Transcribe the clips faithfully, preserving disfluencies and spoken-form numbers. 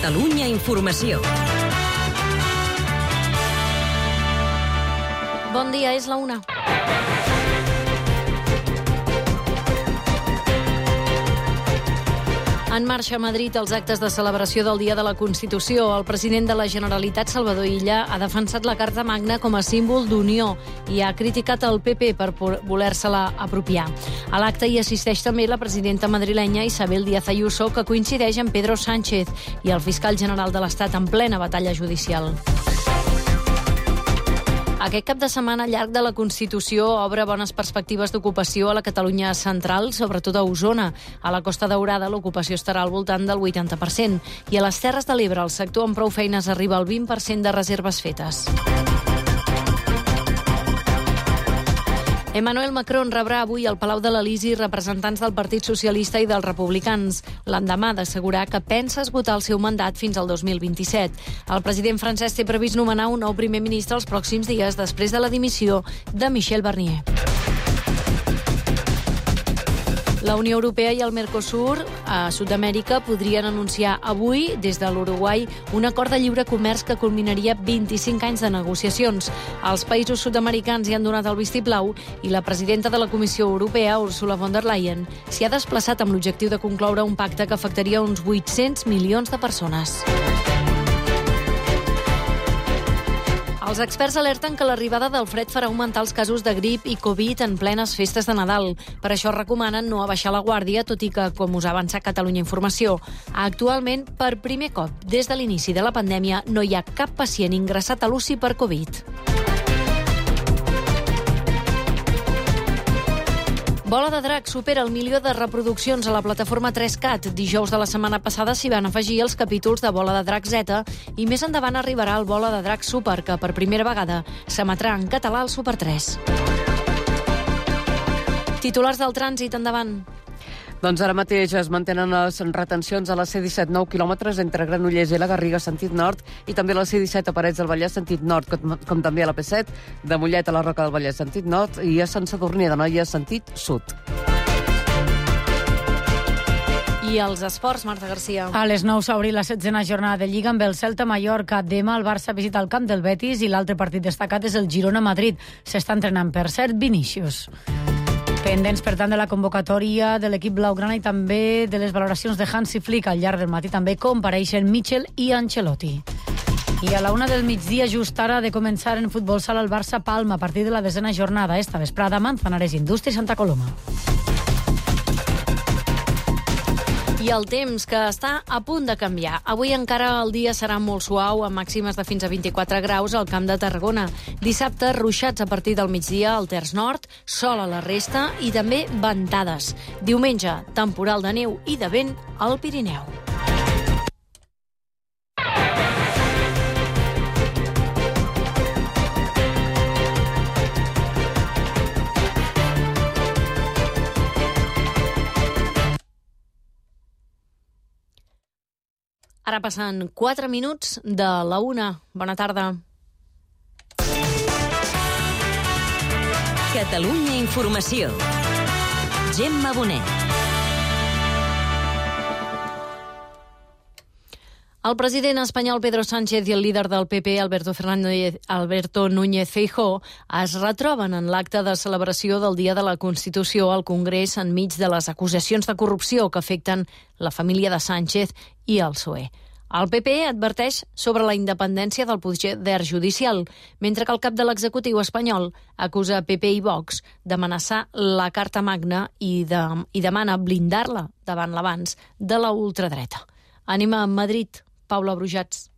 Catalunya Informació. Bon dia, és la una. En marxa a Madrid els actes de celebració del Dia de la Constitució. El president de la Generalitat, Salvador Illa, ha defensat la Carta Magna com a símbol d'unió i ha criticat el P P per voler-se-la apropiar. A l'acte hi assisteix també la presidenta madrilenya Isabel Díaz Ayuso, que coincideix amb Pedro Sánchez i el fiscal general de l'Estat en plena batalla judicial. Aquest cap de setmana llarg de la Constitució obre bones perspectives d'ocupació a la Catalunya central, sobretot a Osona. A la Costa Daurada l'ocupació estarà al voltant del vuitanta per cent i a les Terres de l'Ebre el sector amb prou feines arriba al vint per cent de reserves fetes. Emmanuel Macron rebrà avui al Palau de l'Elisi representants del Partit Socialista i dels Republicans, l'endemà d'assegurar que pensa esgotar el seu mandat fins al dos mil vint-i-set. El president francès té previst nomenar un nou primer ministre els pròxims dies després de la dimissió de Michel Barnier. La Unió Europea i el Mercosur a Sud-amèrica podrien anunciar avui, des de l'Uruguai, un acord de lliure comerç que culminaria vint-i-cinc anys de negociacions. Els països sud-americans hi han donat el vistiplau i la presidenta de la Comissió Europea, Ursula von der Leyen, s'hi ha desplaçat amb l'objectiu de concloure un pacte que afectaria uns vuit-cents milions de persones. Els experts alerten que l'arribada del fred farà augmentar els casos de grip i Covid en plenes festes de Nadal. Per això recomanen no abaixar la guàrdia, tot i que, com us ha avançat Catalunya Informació, actualment, per primer cop des de l'inici de la pandèmia, no hi ha cap pacient ingressat a l'U C I per Covid. Bola de Drac supera el milió de reproduccions a la plataforma tres cat. Dijous de la setmana passada s'hi van afegir els capítols de Bola de Drac Z i més endavant arribarà el Bola de Drac Super, que per primera vegada s'emetrà en català al Super tres. Titulars del trànsit, endavant. Doncs ara mateix es mantenen les retencions a la C disset nou quilòmetres entre Granollers i la Garriga, sentit nord, i també a la C disset a Parets del Vallès, sentit nord, com, com també a la P set, de Mollet a la Roca del Vallès, sentit nord, i a Sant Sadurní d'Anoia, sentit sud. I els esports, Marta Garcia. A les nou s'ha obrit la setzena jornada de Lliga amb el Celta Mallorca. Demà el Barça visita el camp del Betis i l'altre partit destacat és el Girona-Madrid. S'està entrenant, per cert, Vinícius. Pendents, per tant, de la convocatòria de l'equip blaugrana i també de les valoracions de Hansi Flick. Al llarg del matí també compareixen Michel i Ancelotti. I a la una del migdia, just ara, de començar en futbol sala el Barça-Palma a partir de la desena jornada. Esta vesprada, Manzanares Indústria i Santa Coloma. I el temps, que està a punt de canviar. Avui encara el dia serà molt suau, amb màximes de fins a vint-i-quatre graus al Camp de Tarragona. Dissabte, ruixats a partir del migdia al terç nord, sol a la resta i també ventades. Diumenge, temporal de neu i de vent al Pirineu. Ara passen quatre minuts de la una. Bona tarda. Catalunya Informació. Gemma Bonet. El president espanyol Pedro Sánchez i el líder del P P, Alberto Fernández, Alberto Núñez Feijóo, es retroben en l'acte de celebració del Dia de la Constitució al Congrés enmig de les acusacions de corrupció que afecten la família de Sánchez i el P S O E. El P P adverteix sobre la independència del poder judicial, mentre que el cap de l'executiu espanyol acusa P P i Vox d'amenaçar la Carta Magna i, de, i demana blindar-la davant l'avanç de la ultradreta. Anem a Madrid. Paula Brujats.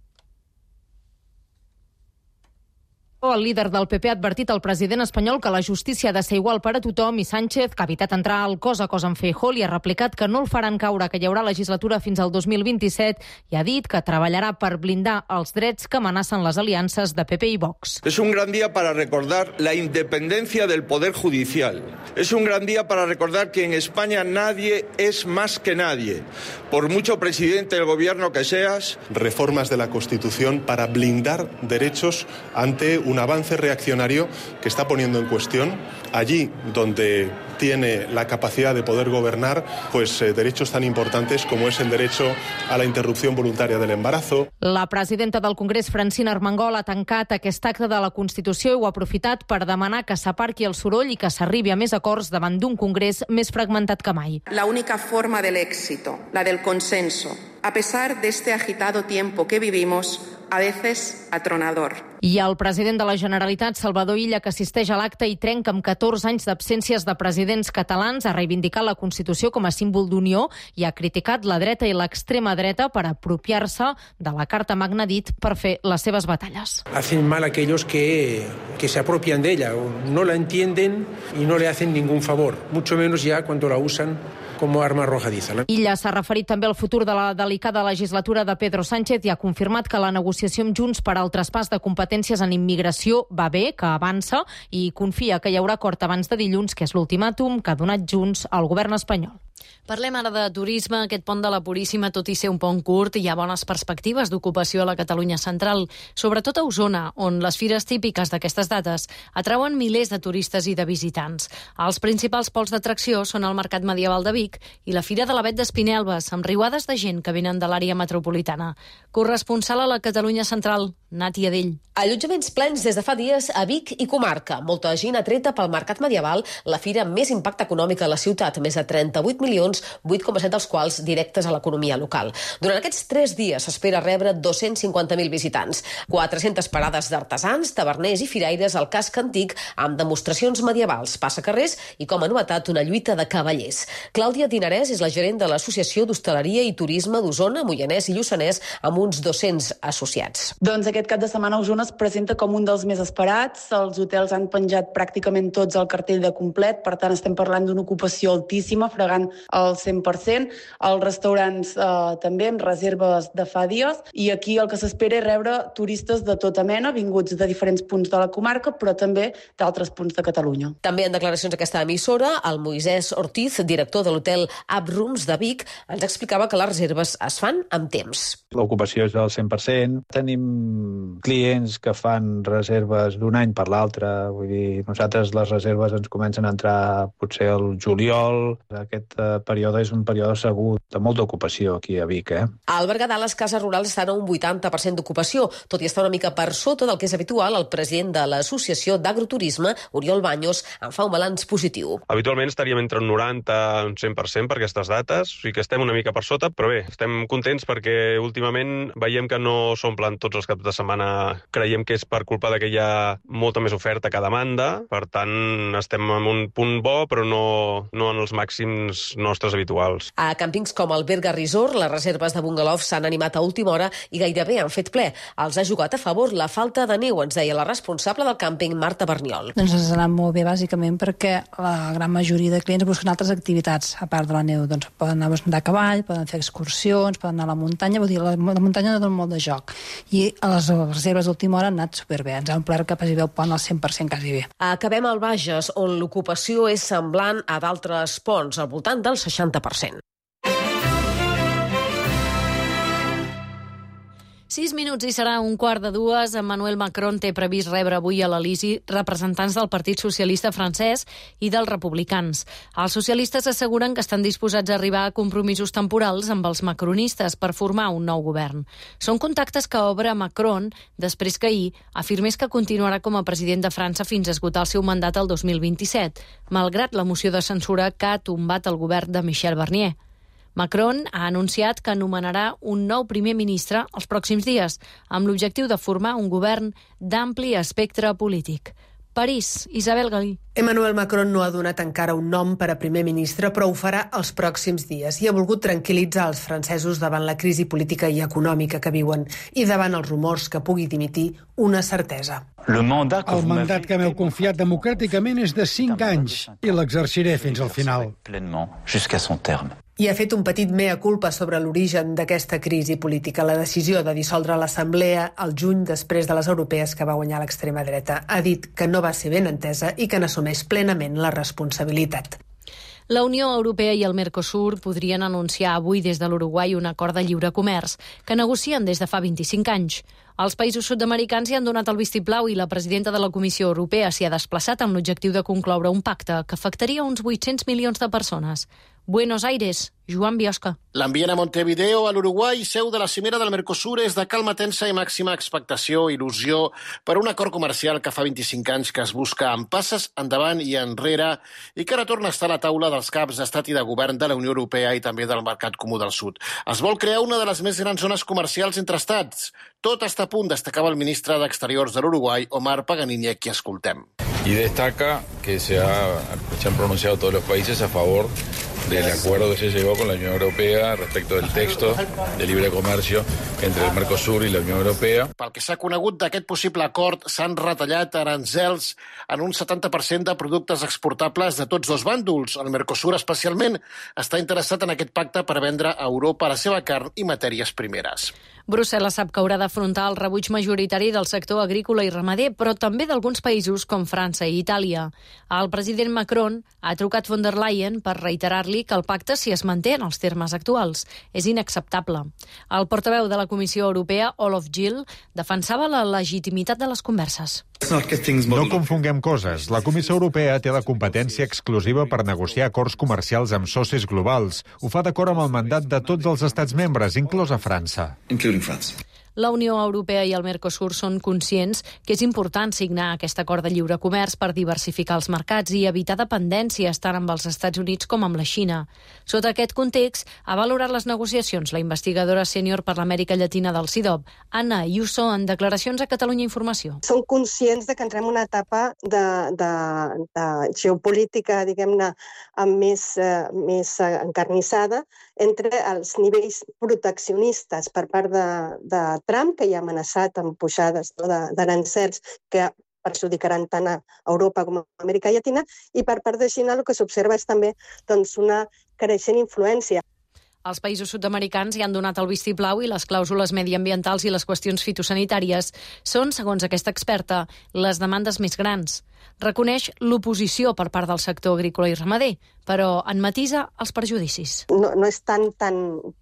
El líder del P P ha advertit al president espanyol que la justícia ha de ser igual per a tothom i Sánchez, que ha evitat entrar al cos a cos amb Feijóo, li ha replicat que no el faran caure, que hi haurà legislatura fins al dos mil vint-i-set i ha dit que treballarà per blindar els drets que amenacen les aliances de P P i Vox. Es un gran día para recordar la independencia del Poder Judicial. Es un gran día para recordar que en España nadie es más que nadie. Por mucho presidente del gobierno que seas. Reformas de la Constitución para blindar derechos ante un un avance reaccionario que está poniendo en cuestión allí donde tiene la capacidad de poder gobernar, pues eh, derechos tan importantes como es el derecho a la interrupción voluntaria del embarazo. La presidenta del Congrés, Francina Armengol, ha tancat aquest acte de la Constitució i ho ha aprofitat per demanar que s'aparqui el soroll i que s'arribi a més acords davant d'un Congrés més fragmentat que mai. La única forma del éxito, la del consenso, a pesar de este agitado tiempo que vivimos, a veces atronador. I el president de la Generalitat, Salvador Illa, que assisteix a l'acte i trenca amb catorze anys d'absències de presidents catalans, ha reivindicat la Constitució com a símbol d'unió i ha criticat la dreta i l'extrema dreta per apropiar-se de la Carta Magna, dit, per fer les seves batalles. Hacen mal aquellos que, que se apropian de ella, no la entienden y no le hacen ningún favor, mucho menos ya cuando la usan com a arma arrojadiza. Illa s'ha referit també al futur de la delicada legislatura de Pedro Sánchez i ha confirmat que la negociació amb Junts per al traspàs de competències en immigració va bé, que avança i confia que hi haurà acord abans de dilluns, que és l'ultimàtum que ha donat Junts al govern espanyol. Parlem ara de turisme. Aquest pont de la Puríssima, tot i ser un pont curt, hi ha bones perspectives d'ocupació a la Catalunya central, sobretot a Osona, on les fires típiques d'aquestes dates atrauen milers de turistes i de visitants. Els principals pols d'atracció són el Mercat Medieval de Vic i la Fira de l'Avet d'Espinelves, amb riuades de gent que venen de l'àrea metropolitana. Corresponsal a la Catalunya central, Nati Adell. Allotjaments plens des de fa dies a Vic i comarca. Molta gent atreta pel Mercat Medieval, la fira amb més impacte econòmic a la ciutat, més de trenta-vuit milions, vuit coma set dels quals directes a l'economia local. Durant aquests tres dies s'espera rebre dos-cents cinquanta mil visitants, quatre-centes parades d'artesans, taverners i firaires al casc antic amb demostracions medievals, passacarrers i, com a novetat, una lluita de cavallers. Clàudia Dinarès és la gerent de l'Associació d'Hostaleria i Turisme d'Osona, Moianès i Lluçanès, amb uns dos-cents associats. Doncs aquest cap de setmana Osona es presenta com un dels més esperats. Els hotels han penjat pràcticament tots el cartell de complet, per tant estem parlant d'una ocupació altíssima, fregant el cent per cent. Els restaurants eh, també amb reserves de fa dies, i aquí el que s'espera és rebre turistes de tota mena, vinguts de diferents punts de la comarca, però també d'altres punts de Catalunya. També en declaracions a aquesta emissora, el Moisès Ortiz, director de l'hotel Uprooms de Vic, ens explicava que les reserves es fan amb temps. L'ocupació és del cent per cent. Tenim clients que fan reserves d'un any per l'altre. Vull dir, nosaltres les reserves ens comencen a entrar potser al juliol. Aquest eh, període és un període segur de molta ocupació aquí a Vic. Eh? Al Berguedà les cases rurals estan a un vuitanta per cent d'ocupació, tot i estar una mica per sota del que és habitual. El president de l'Associació d'Agroturisme, Oriol Baños, en fa un balanç positiu. Habitualment estaríem entre un noranta i un cent per cent per aquestes dates, o sigui que estem una mica per sota, però bé, estem contents perquè últimament veiem que no s'omplen tots els caps de setmana. Creiem que és per culpa de que hi ha molta més oferta que demanda, per tant estem en un punt bo, però no, no en els màxims nostres habituals. A càmpings com el Berga Resort, les reserves de bungalow s'han animat a última hora i gairebé han fet ple. Els ha jugat a favor la falta de neu, ens deia la responsable del càmping, Marta Berniol. Doncs ens ha anat molt bé, bàsicament, perquè la gran majoria de clients busquen altres activitats, a part de la neu. Doncs poden anar a cavall, poden fer excursions, poden anar a la muntanya, vull dir, la, la muntanya dona molt de joc. I a les reserves d'última hora han anat superbé. Ens ha omplert que quasi bé el pont al cent per cent quasi bé. Acabem al Bages, on l'ocupació és semblant a d'altres ponts, al voltant del seixanta per cent. Sis minuts i serà un quart de dues. Emmanuel Macron té previst rebre avui a l'Elisi representants del Partit Socialista francès i dels republicans. Els socialistes asseguren que estan disposats a arribar a compromisos temporals amb els macronistes per formar un nou govern. Són contactes que obre Macron després que ahir afirmés que continuarà com a president de França fins a esgotar el seu mandat el dos mil vint-i-set, malgrat la moció de censura que ha tombat el govern de Michel Barnier. Macron ha anunciat que anomenarà un nou primer ministre els pròxims dies, amb l'objectiu de formar un govern d'ampli espectre polític. París, Isabel Galí. Emmanuel Macron no ha donat encara un nom per a primer ministre, però ho farà els pròxims dies i ha volgut tranquil·litzar els francesos davant la crisi política i econòmica que viuen i davant els rumors que pugui dimitir una certesa. El mandat que m'heu confiat democràticament és de cinc anys i l'exerciré fins al final. I ha fet un petit mea culpa sobre l'origen d'aquesta crisi política, la decisió de dissoldre l'Assemblea al juny després de les europees que va guanyar l'extrema dreta. Ha dit que no va ser ben entesa i que n'assumeix plenament la responsabilitat. La Unió Europea i el Mercosur podrien anunciar avui des de l'Uruguai un acord de lliure comerç que negocien des de fa vint-i-cinc anys. Els països sud-americans hi han donat el vistiplau i la presidenta de la Comissió Europea s'hi ha desplaçat amb l'objectiu de concloure un pacte que afectaria uns vuit-cents milions de persones. Buenos Aires, Joan Biosca. L'ambient a Montevideo, a l'Uruguai, seu de la cimera del Mercosur, és de calma tensa i màxima expectació, il·lusió per un acord comercial que fa vint-i-cinc anys que es busca amb passes endavant i enrere i que ara torna a estar a la taula dels caps d'estat i de govern de la Unió Europea i també del Mercat Comú del Sud. Es vol crear una de les més grans zones comercials entre estats. Tot està a punt, destacava el ministre d'Exteriors de l'Uruguai, Omar Paganini, a qui escoltem. Y destaca que se, ha, se han pronunciado todos los países a favor del acuerdo que se llegó con la Unión Europea respecto del texto de libre comercio entre el Mercosur i la Unió Europea. Pel que s'ha conegut d'aquest possible acord, s'han retallat aranzels en un setanta per cent de productes exportables de tots dos bàndols. El Mercosur, especialment, està interessat en aquest pacte per vendre a Europa la seva carn i matèries primeres. Brussel·les sap que haurà d'afrontar el rebuig majoritari del sector agrícola i ramader, però també d'alguns països com França i Itàlia. El president Macron ha trucat von der Leyen per reiterar-li que el pacte, si es manté en els termes actuals, és inacceptable. El portaveu de la Comissió Europea, Olof Gil, defensava la legitimitat de les converses. No confonguem coses. La Comissió Europea té la competència exclusiva per negociar acords comercials amb socis globals. Ho fa d'acord amb el mandat de tots els estats membres, inclosa França. La Unió Europea i el Mercosur són conscients que és important signar aquest acord de lliure comerç per diversificar els mercats i evitar dependències tant amb els Estats Units com amb la Xina. Sota aquest context, ha valorat les negociacions la investigadora sènior per l'Amèrica Llatina del C I D O B, Anna Ayuso, en declaracions a Catalunya Informació. Som conscients de que entrem en una etapa de, de, de geopolítica, diguem-ne, més, eh, més encarnissada entre els nivells proteccionistes per part de, de Trump, que ja ha amenaçat amb pujades no, d'arancels que perjudicaran tant a Europa com a Amèrica Llatina, i per part de Xina el que s'observa és també doncs, una creixent influència. Els països sud-americans hi han donat el vistiplau i les clàusules mediambientals i les qüestions fitosanitàries són, segons aquesta experta, les demandes més grans. Reconeix l'oposició per part del sector agrícola i ramader, però en matisa els perjudicis. No, no és tan, tan,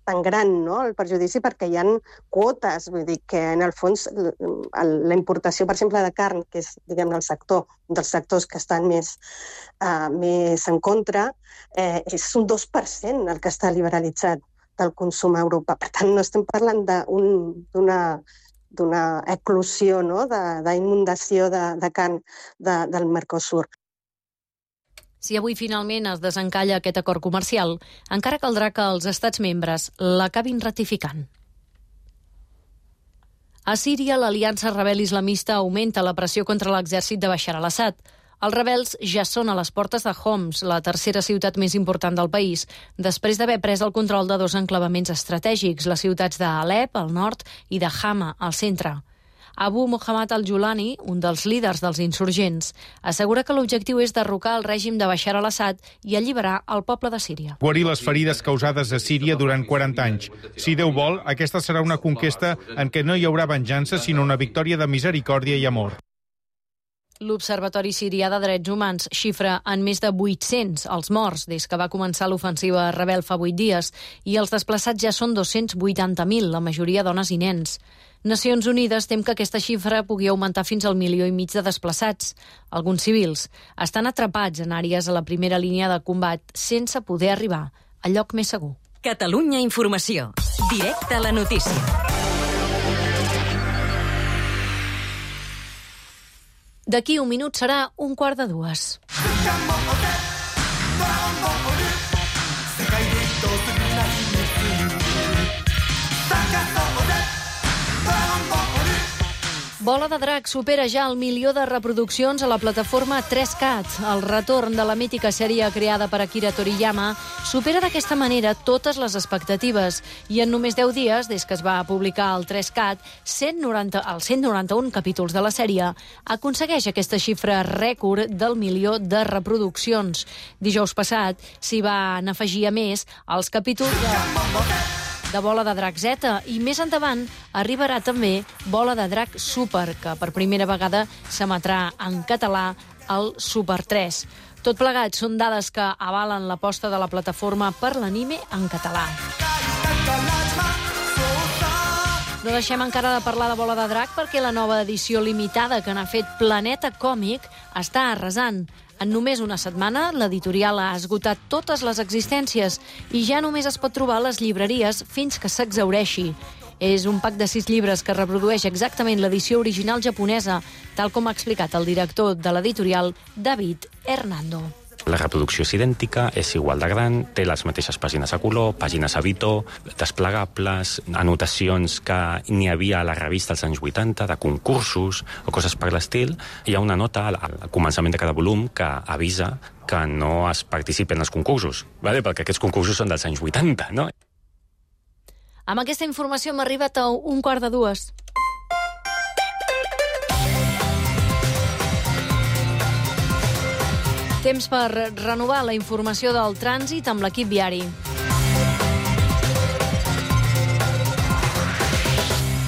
tan gran no, el perjudici perquè hi ha quotes, vull dir que en el fons la importació, per exemple, de carn, que és diguem, el sector, dels sectors que estan més, uh, més en contra, eh, és un dos per cent el que està liberalitzat del consum a Europa. Per tant, no estem parlant d'una d'una eclosió, no? d'inundació de, de carn de, del Mercosur. Si avui finalment es desencalla aquest acord comercial, encara caldrà que els estats membres l'acabin ratificant. A Síria, l'aliança rebel islamista augmenta la pressió contra l'exèrcit de Bashar al-Assad. Els rebels ja són a les portes de Homs, la tercera ciutat més important del país, després d'haver pres el control de dos enclavaments estratègics, les ciutats d'Alep, al nord, i de Hama, al centre. Abu Muhammad al-Julani, un dels líders dels insurgents, assegura que l'objectiu és derrocar el règim de Bashar al-Assad i alliberar el poble de Síria. Guarir les ferides causades a Síria durant quaranta anys. Si Déu vol, aquesta serà una conquesta en què no hi haurà venjança, sinó una victòria de misericòrdia i amor. L'Observatori Sirià de Drets Humans xifra en més de vuit-cents els morts des que va començar l'ofensiva rebel fa vuit dies i els desplaçats ja són dos-cents vuitanta mil, la majoria dones i nens. Nacions Unides tem que aquesta xifra pugui augmentar fins al milió i mig de desplaçats. Alguns civils estan atrapats en àrees a la primera línia de combat sense poder arribar al lloc més segur. Catalunya Informació. Directe a la notícia. D'aquí un minut serà un quart de dues. Bola de Drac supera ja el milió de reproduccions a la plataforma tres cat. El retorn de la mítica sèrie creada per Akira Toriyama supera d'aquesta manera totes les expectatives i en només deu dies, des que es va publicar el tres cat, cent noranta, els cent noranta-un capítols de la sèrie, aconsegueix aquesta xifra rècord del milió de reproduccions. Dijous passat s'hi van afegir a més els capítols de... de Bola de Drac Z, i més endavant arribarà també Bola de Drac Super, que per primera vegada s'emetrà en català al Super tres. Tot plegat són dades que avalen l'aposta de la plataforma per l'anime en català. No deixem encara de parlar de Bola de Drac perquè la nova edició limitada que n'ha fet Planeta Còmic està arrasant. En només una setmana, l'editorial ha esgotat totes les existències i ja només es pot trobar a les llibreries fins que s'exhaureixi. És un pack de sis llibres que reprodueix exactament l'edició original japonesa, tal com ha explicat el director de l'editorial, David Hernando. La reproducció és idèntica, és igual de gran, té les mateixes pàgines a color, pàgines a bitó, desplegables, anotacions que n'hi havia a la revista als anys vuitanta, de concursos o coses per l'estil. Hi ha una nota al, al començament de cada volum que avisa que no es participi en els concursos, ¿vale? Perquè aquests concursos són dels anys vuitanta, no? Amb aquesta informació hem arribat a un quart de dues. Temps per renovar la informació del trànsit amb l'equip viari.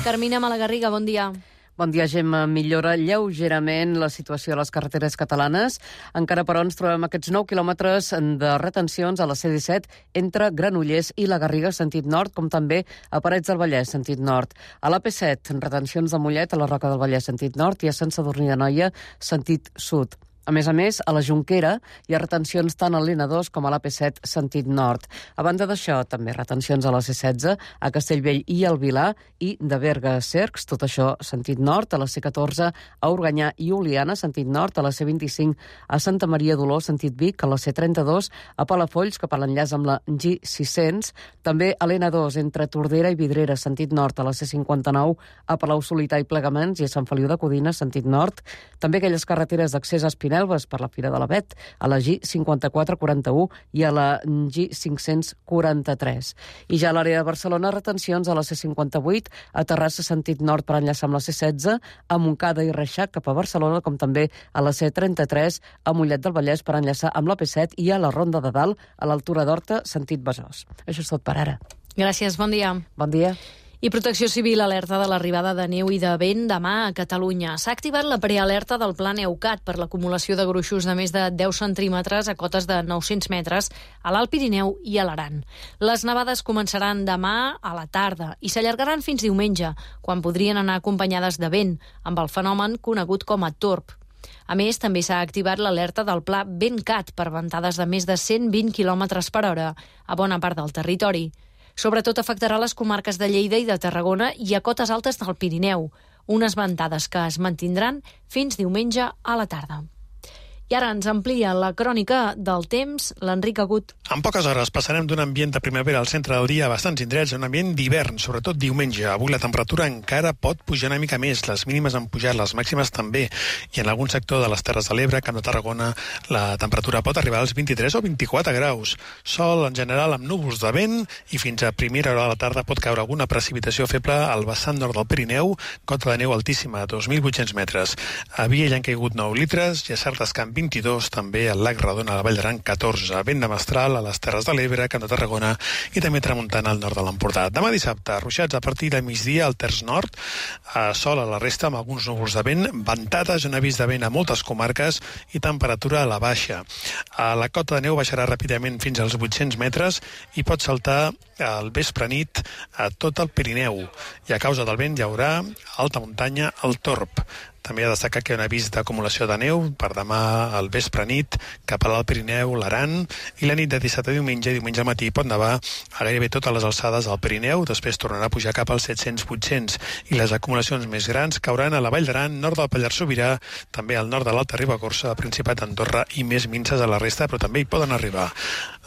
Carmina Malagarriga, bon dia. Bon dia, Gemma. Millora lleugerament la situació a les carreteres catalanes. Encara, però, ens trobem aquests nou quilòmetres de retencions a la C disset entre Granollers i la Garriga, sentit nord, com també a Parets del Vallès, sentit nord. A la P set, retencions de Mollet, a la Roca del Vallès, sentit nord, i a Sant Sadurní d'Anoia, sentit sud. A més a més, a la Jonquera hi ha retencions tant a l'N dos com a la P set sentit nord. A banda d'això, també retencions a la C setze, a Castellvell i al Vilar, i de Berga a Cercs, tot això sentit nord, a la C catorze, a Organyà i Oliana, sentit nord, a la C vint-i-cinc, a Santa Maria d'Oló, sentit Vic, a la C trenta-dos, a Palafolls, cap a l'enllaç amb la G sis-cents, també a l'N dos, entre Tordera i Vidrera, sentit nord, a la C cinquanta-nou, a Palau-solità i Plegaments i a Sant Feliu de Codina, sentit nord, també aquelles carreteres d'accés a Espinelves per la Fira de l'Avet, a la G cinquanta-quatre quaranta-u i a la G cinc-cents quaranta-tres. I ja a l'àrea de Barcelona, retencions a la C cinquanta-vuit, a Terrassa sentit nord per enllaçar amb la C setze, a Montcada i Reixac cap a Barcelona, com també a la C trenta-tres, a Mollet del Vallès per enllaçar amb la P set i a la Ronda de Dalt, a l'altura d'Horta, sentit Besòs. Això és tot per ara. Gràcies, bon dia. Bon dia. I Protecció Civil alerta de l'arribada de neu i de vent demà a Catalunya. S'ha activat la prealerta del Pla Neucat per l'acumulació de gruixos de més de deu centímetres a cotes de nou-cents metres a l'Alt Pirineu i a l'Aran. Les nevades començaran demà a la tarda i s'allargaran fins diumenge, quan podrien anar acompanyades de vent, amb el fenomen conegut com a torb. A més, també s'ha activat l'alerta del Pla Ventcat per ventades de més de cent vint quilòmetres per hora a bona part del territori. Sobretot afectarà les comarques de Lleida i de Tarragona i a cotes altes del Pirineu, unes ventades que es mantindran fins diumenge a la tarda. I ara ens amplia la crònica del temps l'Enric Agut. En poques hores passarem d'un ambient de primavera al centre del dia a bastants indrets a un ambient d'hivern, sobretot diumenge. Avui la temperatura encara pot pujar una mica més, les mínimes han pujat, les màximes també, i en algun sector de les Terres de l'Ebre, Camp de Tarragona, la temperatura pot arribar als vint-i-tres o vint-i-quatre graus. Sol en general amb núvols de vent i fins a primera hora de la tarda pot caure alguna precipitació feble al vessant nord del Pirineu, cota de neu altíssima, dos mil vuit-cents metres. A Viella han caigut nou litres i a Sardes-Camp vint-i-dos, també al Lac Redona, a la Vall d'Aran, catorze. Vent de mestral a les Terres de l'Ebre, Camp de Tarragona i també tramuntana al nord de l'Empordà. Demà dissabte, ruixats a partir de migdia al terç nord, a sol a la resta amb alguns núvols de vent, ventades, un avís de vent a moltes comarques i temperatura a la baixa. A la cota de neu baixarà ràpidament fins als vuit-cents metres i pot saltar al vespre nit a tot el Pirineu. I a causa del vent hi haurà alta muntanya al Torb. També ha de destacar que hi ha un avís d'acumulació de neu per demà al vespre nit cap a l'Alt Pirineu, l'Aran, i la nit de dissabte a diumenge, diumenge al matí pot nevar a gairebé totes les alçades del Pirineu, després tornarà a pujar cap als set-cents vuit-cents, i les acumulacions més grans cauran a la Vall d'Aran, nord del Pallars Sobirà, també al nord de l'Alta Ribagorça, Principat d'Andorra i més minses a la resta, però també hi poden arribar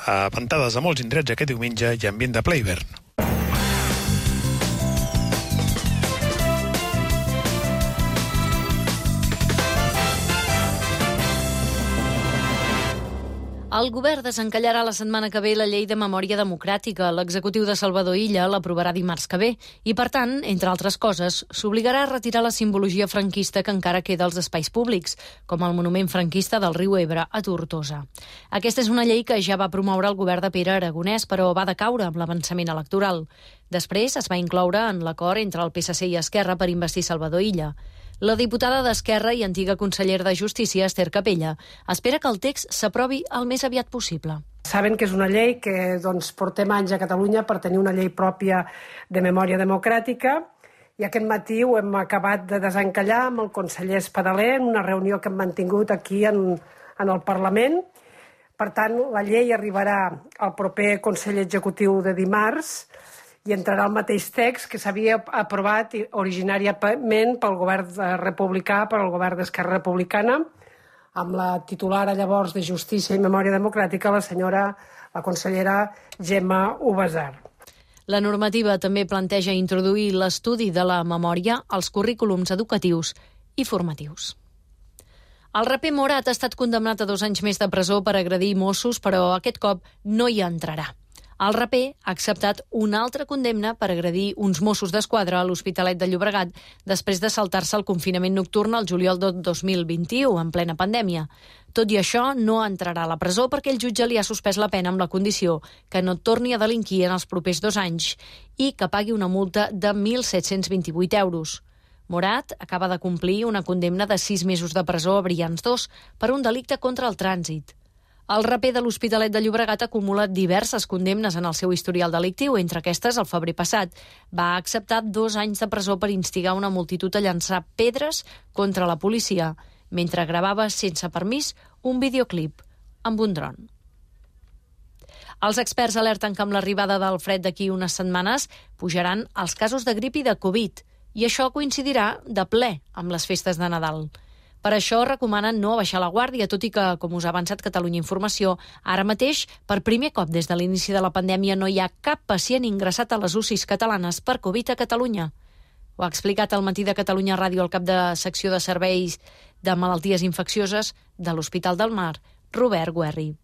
a ventades a molts indrets aquest diumenge i ambient de ple hivern. El govern desencallarà la setmana que ve la llei de memòria democràtica. L'executiu de Salvador Illa l'aprovarà dimarts que ve i, per tant, entre altres coses, s'obligarà a retirar la simbologia franquista que encara queda als espais públics, com el monument franquista del riu Ebre a Tortosa. Aquesta és una llei que ja va promoure el govern de Pere Aragonès, però va decaure amb l'avançament electoral. Després es va incloure en l'acord entre el P S C i Esquerra per investir Salvador Illa. La diputada d'Esquerra i antiga consellera de Justícia, Esther Capella, espera que el text s'aprovi el més aviat possible. Saben que és una llei que doncs, portem anys a Catalunya per tenir una llei pròpia de memòria democràtica i aquest matí ho hem acabat de desencallar amb el conseller Espadaler en una reunió que hem mantingut aquí en, en el Parlament. Per tant, la llei arribarà al proper Consell Executiu de dimarts i entrarà el mateix text que s'havia aprovat originàriament pel govern republicà, per al govern d'Esquerra Republicana, amb la titular llavors de Justícia i Memòria Democràtica, la senyora, la consellera Gemma Ubasart. La normativa també planteja introduir l'estudi de la memòria als currículums educatius i formatius. El raper Morat ha estat condemnat a dos anys més de presó per agredir Mossos, però aquest cop no hi entrarà. El raper ha acceptat una altra condemna per agredir uns Mossos d'Esquadra a l'Hospitalet de Llobregat després de saltar-se el confinament nocturn al juliol del dos mil vint-i-u, en plena pandèmia. Tot i això, no entrarà a la presó perquè el jutge li ha suspès la pena amb la condició que no torni a delinquir en els propers dos anys i que pagui una multa de mil set-cents vint-i-vuit euros. Morat acaba de complir una condemna de sis mesos de presó a Brians dos per un delicte contra el trànsit. El raper de l'Hospitalet de Llobregat ha acumulat diverses condemnes en el seu historial delictiu. Entre aquestes, el febrer passat, va acceptar dos anys de presó per instigar una multitud a llançar pedres contra la policia, mentre gravava sense permís un videoclip amb un dron. Els experts alerten que amb l'arribada del fred d'aquí unes setmanes pujaran els casos de grip i de Covid, i això coincidirà de ple amb les festes de Nadal. Per això recomanen no baixar la guàrdia, tot i que, com us ha avançat Catalunya Informació, ara mateix, per primer cop des de l'inici de la pandèmia, no hi ha cap pacient ingressat a les U C Is catalanes per Covid a Catalunya. Ho ha explicat al Matí de Catalunya Ràdio el cap de secció de serveis de malalties infeccioses de l'Hospital del Mar, Robert Guerri.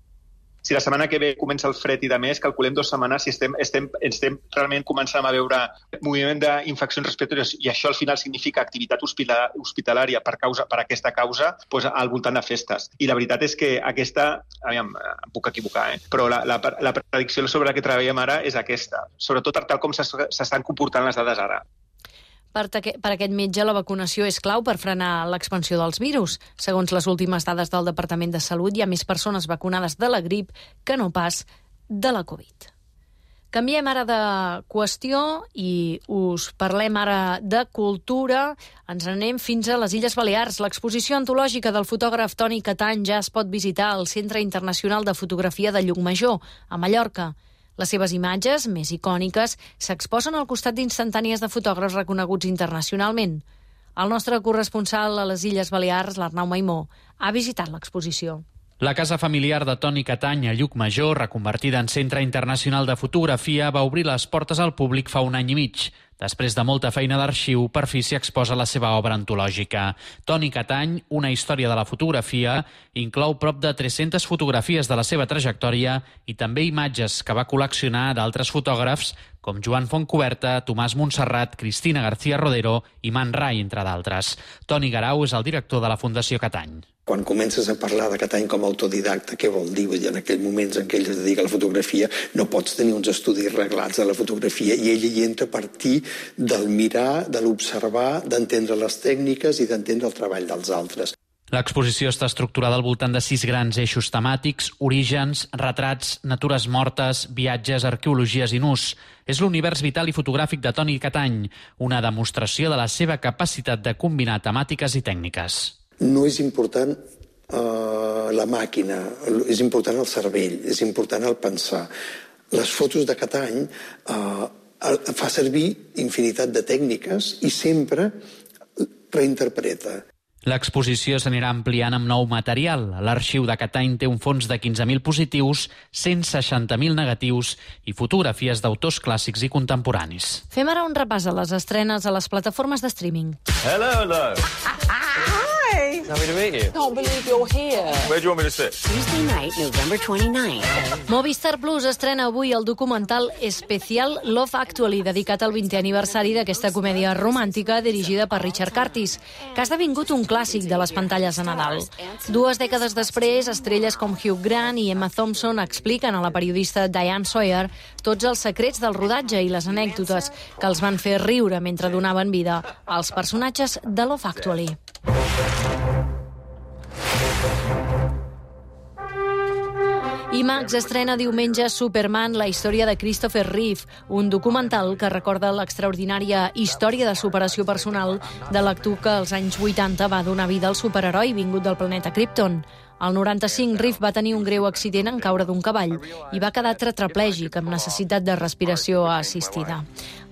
Si la setmana que ve comença el fred i de més, calculem dues setmanes si estem, estem, estem realment començant a veure moviment d'infeccions respiratòries i això al final significa activitat hospitalària per, causa, per aquesta causa doncs, al voltant de festes. I la veritat és que aquesta, aviam, em puc equivocar, eh? però la, la, la predicció sobre la que treballem ara és aquesta, sobretot per tal com s'estan comportant les dades ara. Per, per aquest metge, la vacunació és clau per frenar l'expansió dels virus. Segons les últimes dades del Departament de Salut, hi ha més persones vacunades de la grip que no pas de la Covid. Canviem ara de qüestió i us parlem ara de cultura. Ens anem fins a les Illes Balears. L'exposició antològica del fotògraf Toni Catany ja es pot visitar al Centre Internacional de Fotografia de Llucmajor, a Mallorca. Les seves imatges, més icòniques, s'exposen al costat d'instantànies de fotògrafs reconeguts internacionalment. El nostre corresponsal a les Illes Balears, l'Arnau Maimó, ha visitat l'exposició. La casa familiar de Toni Catany a Llucmajor, reconvertida en Centre Internacional de Fotografia, va obrir les portes al públic fa un any i mig. Després de molta feina d'arxiu, per fi s'hi exposa la seva obra antològica. Toni Catany, una història de la fotografia, inclou prop de tres-centes fotografies de la seva trajectòria i també imatges que va col·leccionar d'altres fotògrafs com Joan Fontcoberta, Tomàs Montserrat, Cristina García Rodero i Man Ray, entre d'altres. Toni Garau és el director de la Fundació Catany. Quan comences a parlar de Catany com a autodidacta, què vol dir? Vull dir, en aquells moments en què ell es dedica a la fotografia, no pots tenir uns estudis reglats de la fotografia i ell hi entra a partir del mirar, de l'observar, d'entendre les tècniques i d'entendre el treball dels altres. L'exposició està estructurada al voltant de sis grans eixos temàtics: orígens, retrats, natures mortes, viatges, arqueologies i nus. És l'univers vital i fotogràfic de Toni Catany, una demostració de la seva capacitat de combinar temàtiques i tècniques. No és important uh, la màquina, és important el cervell, és important el pensar. Les fotos de Catany uh, fa servir infinitat de tècniques i sempre reinterpreta. L'exposició s'anirà ampliant amb nou material. L'arxiu de Catany té un fons de quinze mil positius, cent seixanta mil negatius i fotografies d'autors clàssics i contemporanis. Fem ara un repàs a les estrenes a les plataformes de streaming. Hello, hello. Hey! Happy to meet you. Can't believe you're here. Where do you want me to sit? Tuesday night, November twenty-ninth. Movistar Plus estrena avui el documental especial Love Actually, dedicat al vintè aniversari d'aquesta comèdia romàntica dirigida per Richard Curtis, que ha esdevingut un clàssic de les pantalles de Nadal. Dues dècades després, estrelles com Hugh Grant i Emma Thompson expliquen a la periodista Diane Sawyer tots els secrets del rodatge i les anècdotes que els van fer riure mentre donaven vida als personatges de Love Actually. IMAX estrena diumenge Superman, la història de Christopher Reeve, un documental que recorda l'extraordinària història de superació personal de l'actor que als anys vuitanta va donar vida al superheroi vingut del planeta Krypton. Al noranta-cinc, Reeve va tenir un greu accident en caure d'un cavall i va quedar tetraplègic amb necessitat de respiració assistida.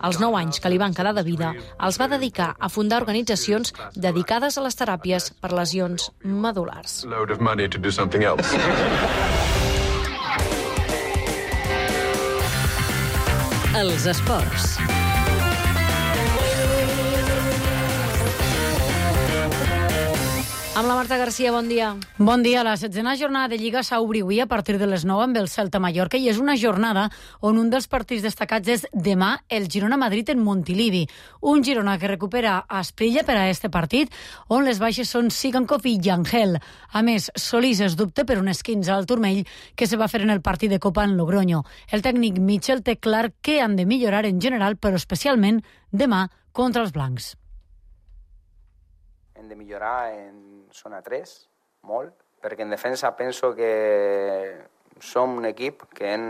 Els nou anys que li van quedar de vida els va dedicar a fundar organitzacions dedicades a les teràpies per lesions medul·lars. Load of money to do something else. Els esports. Amb la Marta Garcia, bon dia. Bon dia. La setzena jornada de Lliga s'obre avui a partir de les nou amb el Celta Mallorca i és una jornada on un dels partits destacats és demà el Girona-Madrid en Montilivi. Un Girona que recupera Asprilla per a este partit, on les baixes són Sigankov i Yangel. A més, Solís es dubta per un esquinçe al turmell que se va fer en el partit de Copa en Logroño. El tècnic Mitchell té clar què han de millorar en general, però especialment demà contra els blancs. Hem de millorar en zona tres, molt, perquè en defensa penso que som un equip que hem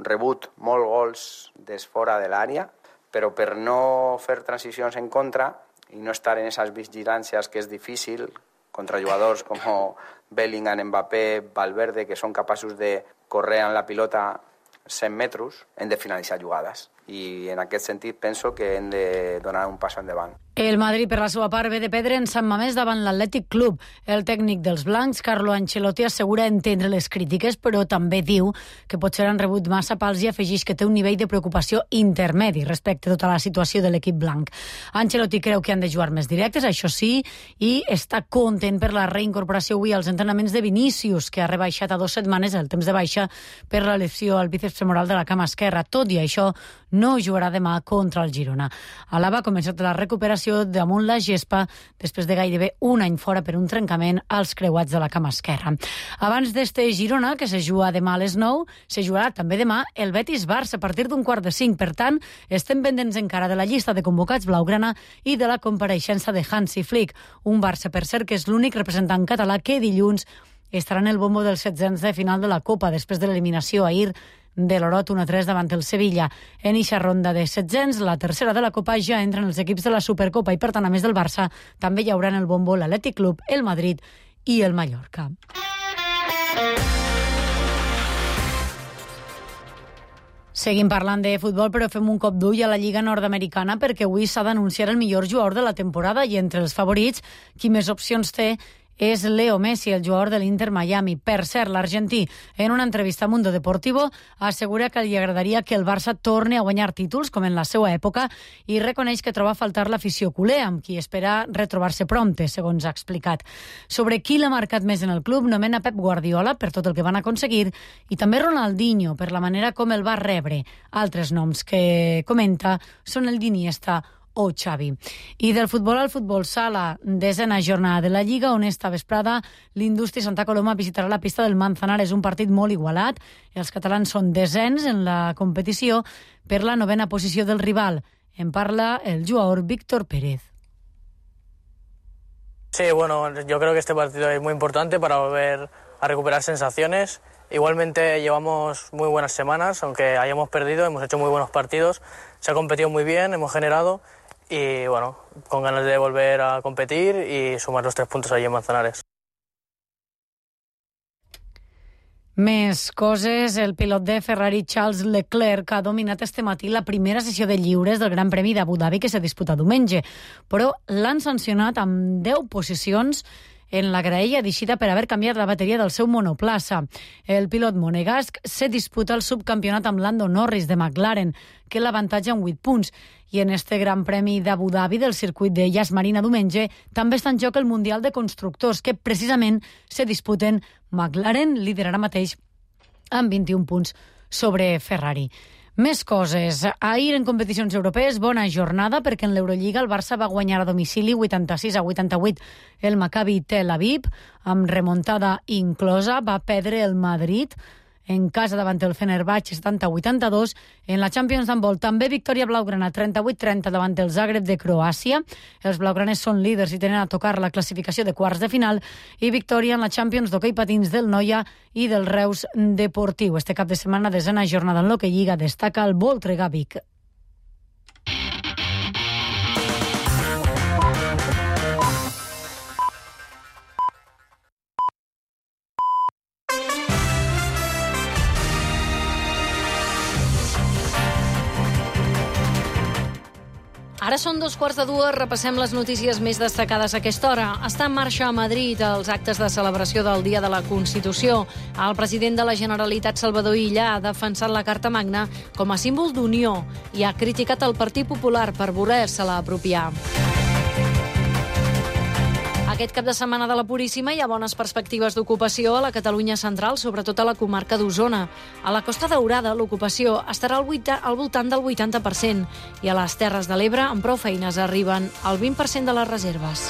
rebut molts gols des fora de l'àrea, però per no fer transicions en contra i no estar en esas vigilàncies que és difícil contra jugadors com Bellingham, Mbappé, Valverde, que són capaços de córrer amb la pilota cent metres, hem de finalitzar jugades. I en aquest sentit penso que hem de donar un pas endavant. El Madrid, per la seva part, ve de perdre en Sant Mamés davant l'Atlètic Club. El tècnic dels blancs, Carlo Ancelotti, assegura entendre les crítiques, però també diu que potser han rebut massa pals i afegeix que té un nivell de preocupació intermedi respecte a tota la situació de l'equip blanc. Ancelotti creu que han de jugar més directes, això sí, i està content per la reincorporació avui als entrenaments de Vinícius, que ha rebaixat a dues setmanes el temps de baixa per la lesió al bíceps femoral de la cama esquerra. Tot i això, no jugarà demà contra el Girona. Alaba ha començat la recuperació damunt la gespa després de gairebé un any fora per un trencament als creuats de la cama esquerra. Abans d'este Girona, que se juga demà a les nou, se jugarà també demà el Betis-Barça a partir d'un quart de cinc. Per tant, estem pendents encara de la llista de convocats blaugrana i de la compareixença de Hansi Flick. Un Barça, per cert, que és l'únic representant català que dilluns estarà en el bombo dels setzents de final de la Copa després de l'eliminació ahir de l'Orot un a tres davant el Sevilla. En eixa ronda de setzents, la tercera de la Copa, ja entren els equips de la Supercopa i, per tant, a més del Barça, també hi haurà en el bombo l'Atlètic Club, el Madrid i el Mallorca. Seguim parlant de futbol, però fem un cop d'ull a la Lliga Nord-Americana perquè avui s'ha d'anunciar el millor jugador de la temporada i entre els favorits, qui més opcions té és Leo Messi, el jugador de l'Inter Miami. Per cert, l'argentí, en una entrevista a Mundo Deportivo, assegura que li agradaria que el Barça torni a guanyar títols, com en la seva època, i reconeix que troba a faltar l'afició culer, amb qui espera retrobar-se prompte, segons ha explicat. Sobre qui l'ha marcat més en el club, nomena Pep Guardiola per tot el que van aconseguir i també Ronaldinho per la manera com el va rebre. Altres noms que comenta són el d'Iniesta o Xavi. I del futbol al futbol sala, desena jornada de la Lliga, on esta vesprada l'Indústria Santa Coloma visitarà la pista del Manzanares, un partit molt igualat. Els catalans són desens en la competició per la novena posició del rival. En parla el jugador Víctor Pérez. Sí, bueno, yo creo que este partido es muy importante para volver a recuperar sensaciones. Igualmente llevamos muy buenas semanas, aunque hayamos perdido, hemos hecho muy buenos partidos, se ha competido muy bien, hemos generado y bueno, con ganas de volver a competir y sumar los tres puntos allí en Manzanares. Més coses, el pilot de Ferrari Charles Leclerc ha dominat este matí la primera sessió de lliures del Gran Premi d'Abu Dhabi que s'ha disputat diumenge, però l'han sancionat amb deu posicions en la graella d'eixida per haver canviat la bateria del seu monoplaça. El pilot monegasc se disputa el subcampionat amb Lando Norris de McLaren, que l'avantatja en vuit punts. I en este Gran Premi d'Abu Dhabi del circuit de Yas Marina diumenge també està en joc el Mundial de Constructors, que precisament se disputen. McLaren liderarà mateix amb vint-i-un punts sobre Ferrari. Més coses. Ahir en competicions europees, bona jornada, perquè en l'Eurolliga el Barça va guanyar a domicili vuitanta-sis a vuitanta-vuit el Maccabi Tel Aviv, amb remuntada inclosa. Va perdre el Madrid en casa davant el Fenerbahçe setanta a vuitanta-dos. En la Champions d'handbol també victòria blaugrana trenta-vuit trenta davant el Zagreb de Croàcia. Els blaugranes són líders i tenen a tocar la classificació de quarts de final, i victòria en la Champions d'hoquei patins del Noia i del Reus Deportiu. Este cap de setmana, desena jornada en l'hoquei lliga, destaca el Voltregà Vic. Ara són dos quarts de dues, repassem les notícies més destacades a aquesta hora. Està en marxa a Madrid els actes de celebració del Dia de la Constitució. El president de la Generalitat, Salvador Illa, ha defensat la Carta Magna com a símbol d'unió i ha criticat el Partit Popular per voler-se-la apropiar. Aquest cap de setmana de la Puríssima hi ha bones perspectives d'ocupació a la Catalunya central, sobretot a la comarca d'Osona. A la Costa Daurada l'ocupació estarà al, vuita, al voltant del vuitanta per cent i a les Terres de l'Ebre amb prou feines arriben al vint per cent de les reserves.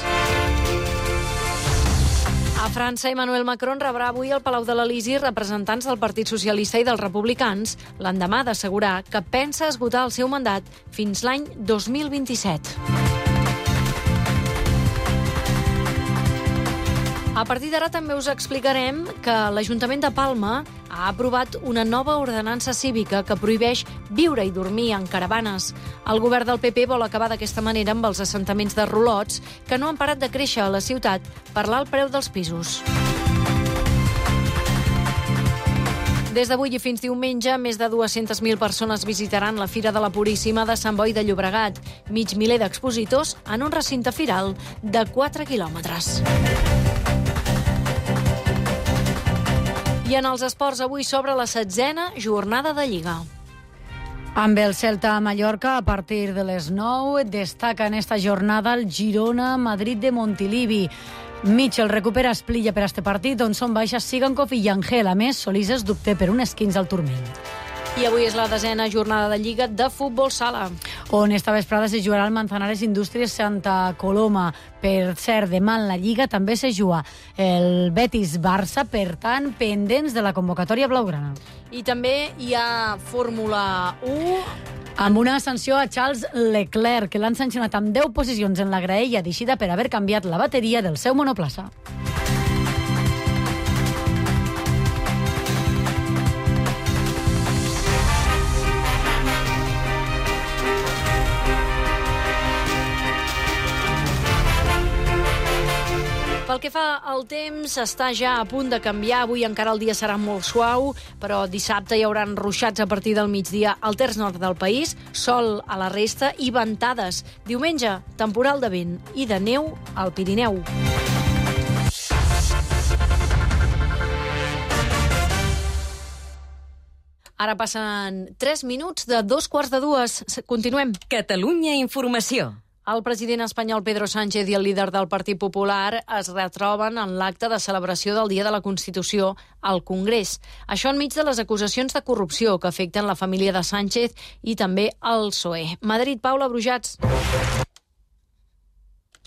A França, Emmanuel Macron rebrà avui al Palau de l'Elisi representants del Partit Socialista i dels Republicans, l'endemà d'assegurar que pensa esgotar el seu mandat fins l'any dos mil vint-i-set. A partir d'ara també us explicarem que l'Ajuntament de Palma ha aprovat una nova ordenança cívica que prohibeix viure i dormir en caravanes. El govern del P P vol acabar d'aquesta manera amb els assentaments de rolots que no han parat de créixer a la ciutat per l'alt preu dels pisos. Des d'avui i fins diumenge, més de dues-centes mil persones visitaran la Fira de la Puríssima de Sant Boi de Llobregat. Mig miler d'expositors en un recinte firal de quatre quilòmetres. I en els esports, avui s'obre la setzena jornada de Lliga. Amb el Celta a Mallorca, a partir de les nou, destaca en esta jornada el Girona-Madrid de Montilivi. Mitchell recupera Esplilla per a este partit, on són baixes Sigankov i Yangel. A més, Solís es dubte per un esquins al turmell. I avui és la desena jornada de Lliga de futbol sala, on esta vesprada se jugarà el Manzanares Indústries Santa Coloma. Per cert, demà en la Lliga també se juga el Betis-Barça, per tant, pendents de la convocatòria blaugrana. I també hi ha Fórmula u... amb una sanció a Charles Leclerc, que l'han sancionat amb deu posicions en la graella d'eixida per haver canviat la bateria del seu monoplaça. Pel que fa al temps, està ja a punt de canviar. Avui encara el dia serà molt suau, però dissabte hi haurà ruixats a partir del migdia al terç nord del país, sol a la resta i ventades. Diumenge, temporal de vent i de neu al Pirineu. Ara passen tres minuts de dos quarts de dues. Continuem. Catalunya Informació. El president espanyol Pedro Sánchez i el líder del Partit Popular es retroben en l'acte de celebració del Dia de la Constitució al Congrés. Això enmig de les acusacions de corrupció que afecten la família de Sánchez i també el P S O E. Madrid, Paula Brujats.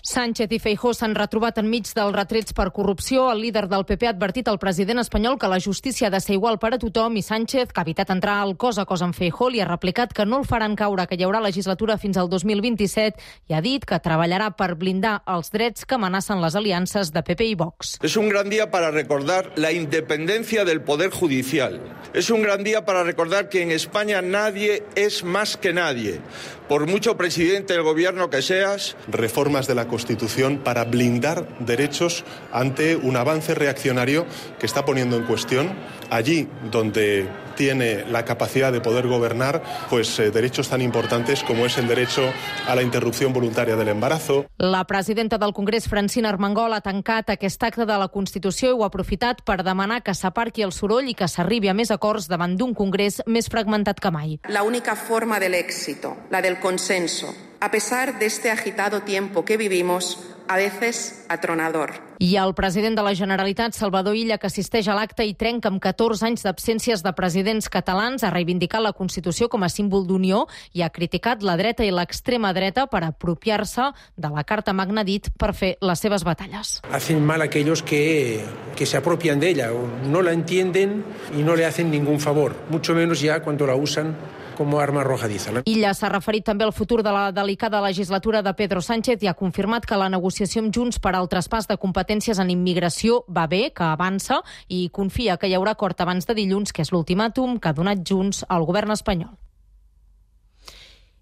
Sánchez i Feijóo s'han retrobat enmig dels retrets per corrupció. El líder del P P ha advertit al president espanyol que la justícia ha de ser igual per a tothom i Sánchez, que ha evitat entrar al cos a cos amb Feijóo, li ha replicat que no el faran caure, que hi haurà legislatura fins al dos mil vint-i-set i ha dit que treballarà per blindar els drets que amenacen les aliances de P P i Vox. Es un gran día para recordar la independencia del Poder Judicial. Es un gran día para recordar que en España nadie es más que nadie. Por mucho presidente del gobierno que seas. Reformas de la Constitución Constitución para blindar derechos ante un avance reaccionario que está poniendo en cuestión allí donde tiene la capacidad de poder gobernar, pues eh, derechos tan importantes como es el derecho a la interrupción voluntaria del embarazo. La presidenta del Congrés, Francina Armengol, ha tancat aquest acte de la Constitució i ho ha aprofitat per demanar que s'aparqui el soroll i que s'arribi a més acords davant d'un Congrés més fragmentat que mai. La única forma del éxito, la del consenso, a pesar de este agitado tiempo que vivimos, a veces atronador. I el president de la Generalitat, Salvador Illa, que assisteix a l'acte i trenca amb catorze anys d'absències de presidents catalans, ha reivindicat la Constitució com a símbol d'unió i ha criticat la dreta i l'extrema dreta per apropiar-se de la Carta Magna, dit, per fer les seves batalles. Hacen mal aquellos que, que se apropian de ella, no la entienden y no le hacen ningún favor, mucho menos ya cuando la usan como arma arrojadiza. Illa s'ha referit també al futur de la delicada legislatura de Pedro Sánchez i ha confirmat que la negociació amb Junts per al traspàs de competències en immigració va bé, que avança i confia que hi haurà acord abans de dilluns, que és l'ultimàtum que ha donat Junts al govern espanyol.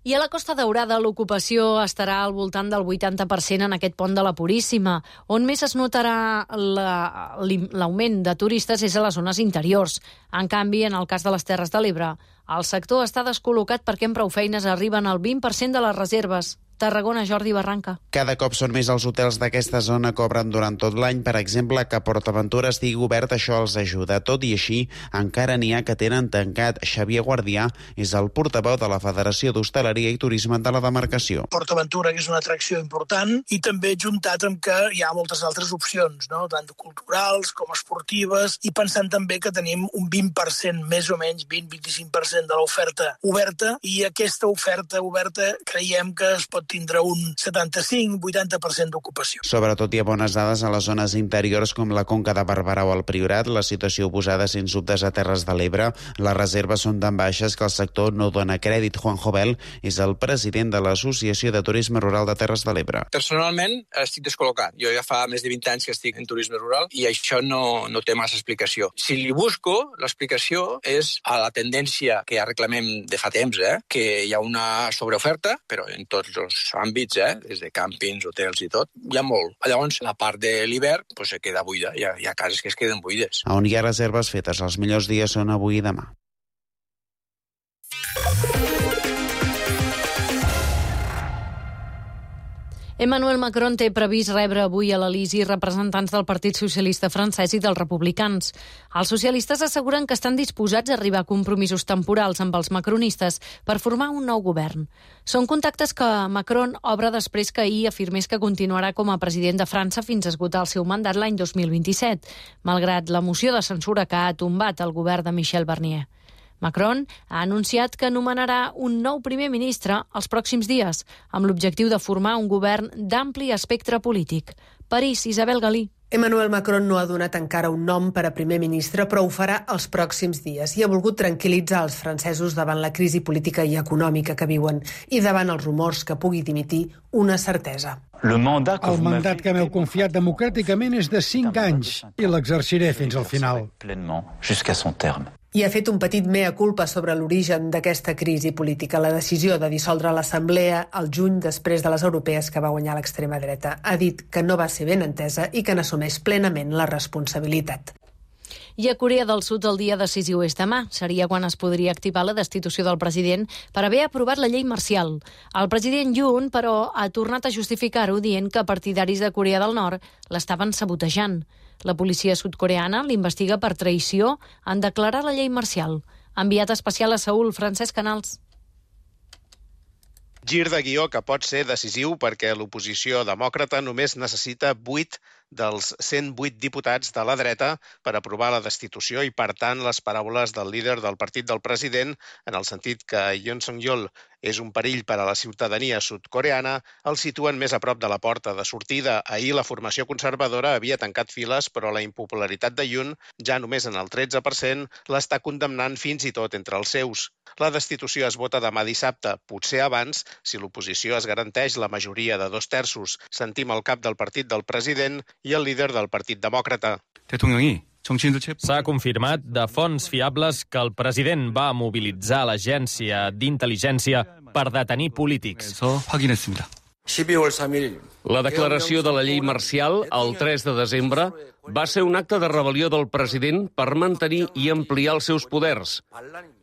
I a la Costa Daurada l'ocupació estarà al voltant del vuitanta per cent en aquest pont de la Puríssima. On més es notarà l'augment de turistes és a les zones interiors. En canvi, en el cas de les Terres de l'Ebre, el sector està descol·locat perquè amb prou feines arriben al vint per cent de les reserves. Tarragona, Jordi Barranca. Cada cop són més els hotels d'aquesta zona que obren durant tot l'any. Per exemple, que PortAventura estigui obert, això els ajuda. Tot i així, encara n'hi ha que tenen tancat. Xavier Guardià és el portaveu de la Federació d'Hostaleria i Turisme de la demarcació. PortAventura, que és una atracció important, i també juntat amb que hi ha moltes altres opcions, no? Tant culturals com esportives, i pensant també que tenim un vint per cent, més o menys, vint a vint-i-cinc per cent de l'oferta oberta, i aquesta oferta oberta creiem que es pot tindrà un setanta-cinc a vuitanta per cent d'ocupació. Sobretot hi ha bones dades a les zones interiors com la Conca de Barberà o el Priorat, la situació oposada sens dubtes a Terres de l'Ebre. Les reserves són tan baixes que el sector no dona crèdit. Juan Jovel és el president de l'Associació de Turisme Rural de Terres de l'Ebre. Personalment estic descol·locat. Jo ja fa més de vint anys que estic en turisme rural i això no, no té massa explicació. Si li busco, l'explicació és a la tendència que ja reclamem de fa temps, eh? Que hi ha una sobreoferta, però en tots els àmbits, eh? Des de càmpings, hotels i tot, hi ha molt. Llavors, la part de l'hivern pues, se queda buida. Hi ha, hi ha cases que es queden buides. On hi ha reserves fetes, els millors dies són avui i demà. Emmanuel Macron té previst rebre avui a l'Elisi representants del Partit Socialista francès i dels republicans. Els socialistes asseguren que estan disposats a arribar a compromisos temporals amb els macronistes per formar un nou govern. Són contactes que Macron obre després que ahir afirmés que continuarà com a president de França fins a esgotar el seu mandat l'any dos mil vint-i-set, malgrat la moció de censura que ha tombat el govern de Michel Barnier. Macron ha anunciat que nomenarà un nou primer ministre els pròxims dies, amb l'objectiu de formar un govern d'ampli espectre polític. París, Isabel Galí. Emmanuel Macron no ha donat encara un nom per a primer ministre, però ho farà els pròxims dies i ha volgut tranquil·litzar els francesos davant la crisi política i econòmica que viuen i davant els rumors que pugui dimitir una certesa. El mandat que m'heu confiat democràticament és de cinc anys i l'exerciré fins al final. I ha fet un petit mea culpa sobre l'origen d'aquesta crisi política, la decisió de dissoldre l'Assemblea al juny després de les europees que va guanyar l'extrema dreta. Ha dit que no va ser ben entesa i que n'assumeix plenament la responsabilitat. I a Corea del Sud el dia decisiu és demà. Seria quan es podria activar la destitució del president per haver aprovat la llei marcial. El president Yoon, però, ha tornat a justificar-ho dient que partidaris de Corea del Nord l'estaven sabotejant. La policia sud-coreana l'investiga per traïció en declarar la llei marcial. Enviat especial a Seül, Francesc Canals. Gir de guió que pot ser decisiu perquè l'oposició demòcrata només necessita vuit dels cent vuit diputats de la dreta per aprovar la destitució i, per tant, les paraules del líder del partit del president, en el sentit que Yoon Suk-yeol és un perill per a la ciutadania sud-coreana, el situen més a prop de la porta de sortida. Ahir la formació conservadora havia tancat files, però la impopularitat de Yoon, ja només en el tretze per cent, l'està condemnant fins i tot entre els seus. La destitució es vota demà dissabte, potser abans, si l'oposició es garanteix la majoria de dos terços. Sentim el cap del partit del president i el líder del Partit Demòcrata. S'ha confirmat de fonts fiables que el president va mobilitzar l'agència d'intel·ligència per detenir polítics. La declaració de la llei marcial, el tres de desembre, va ser un acte de rebel·lió del president per mantenir i ampliar els seus poders.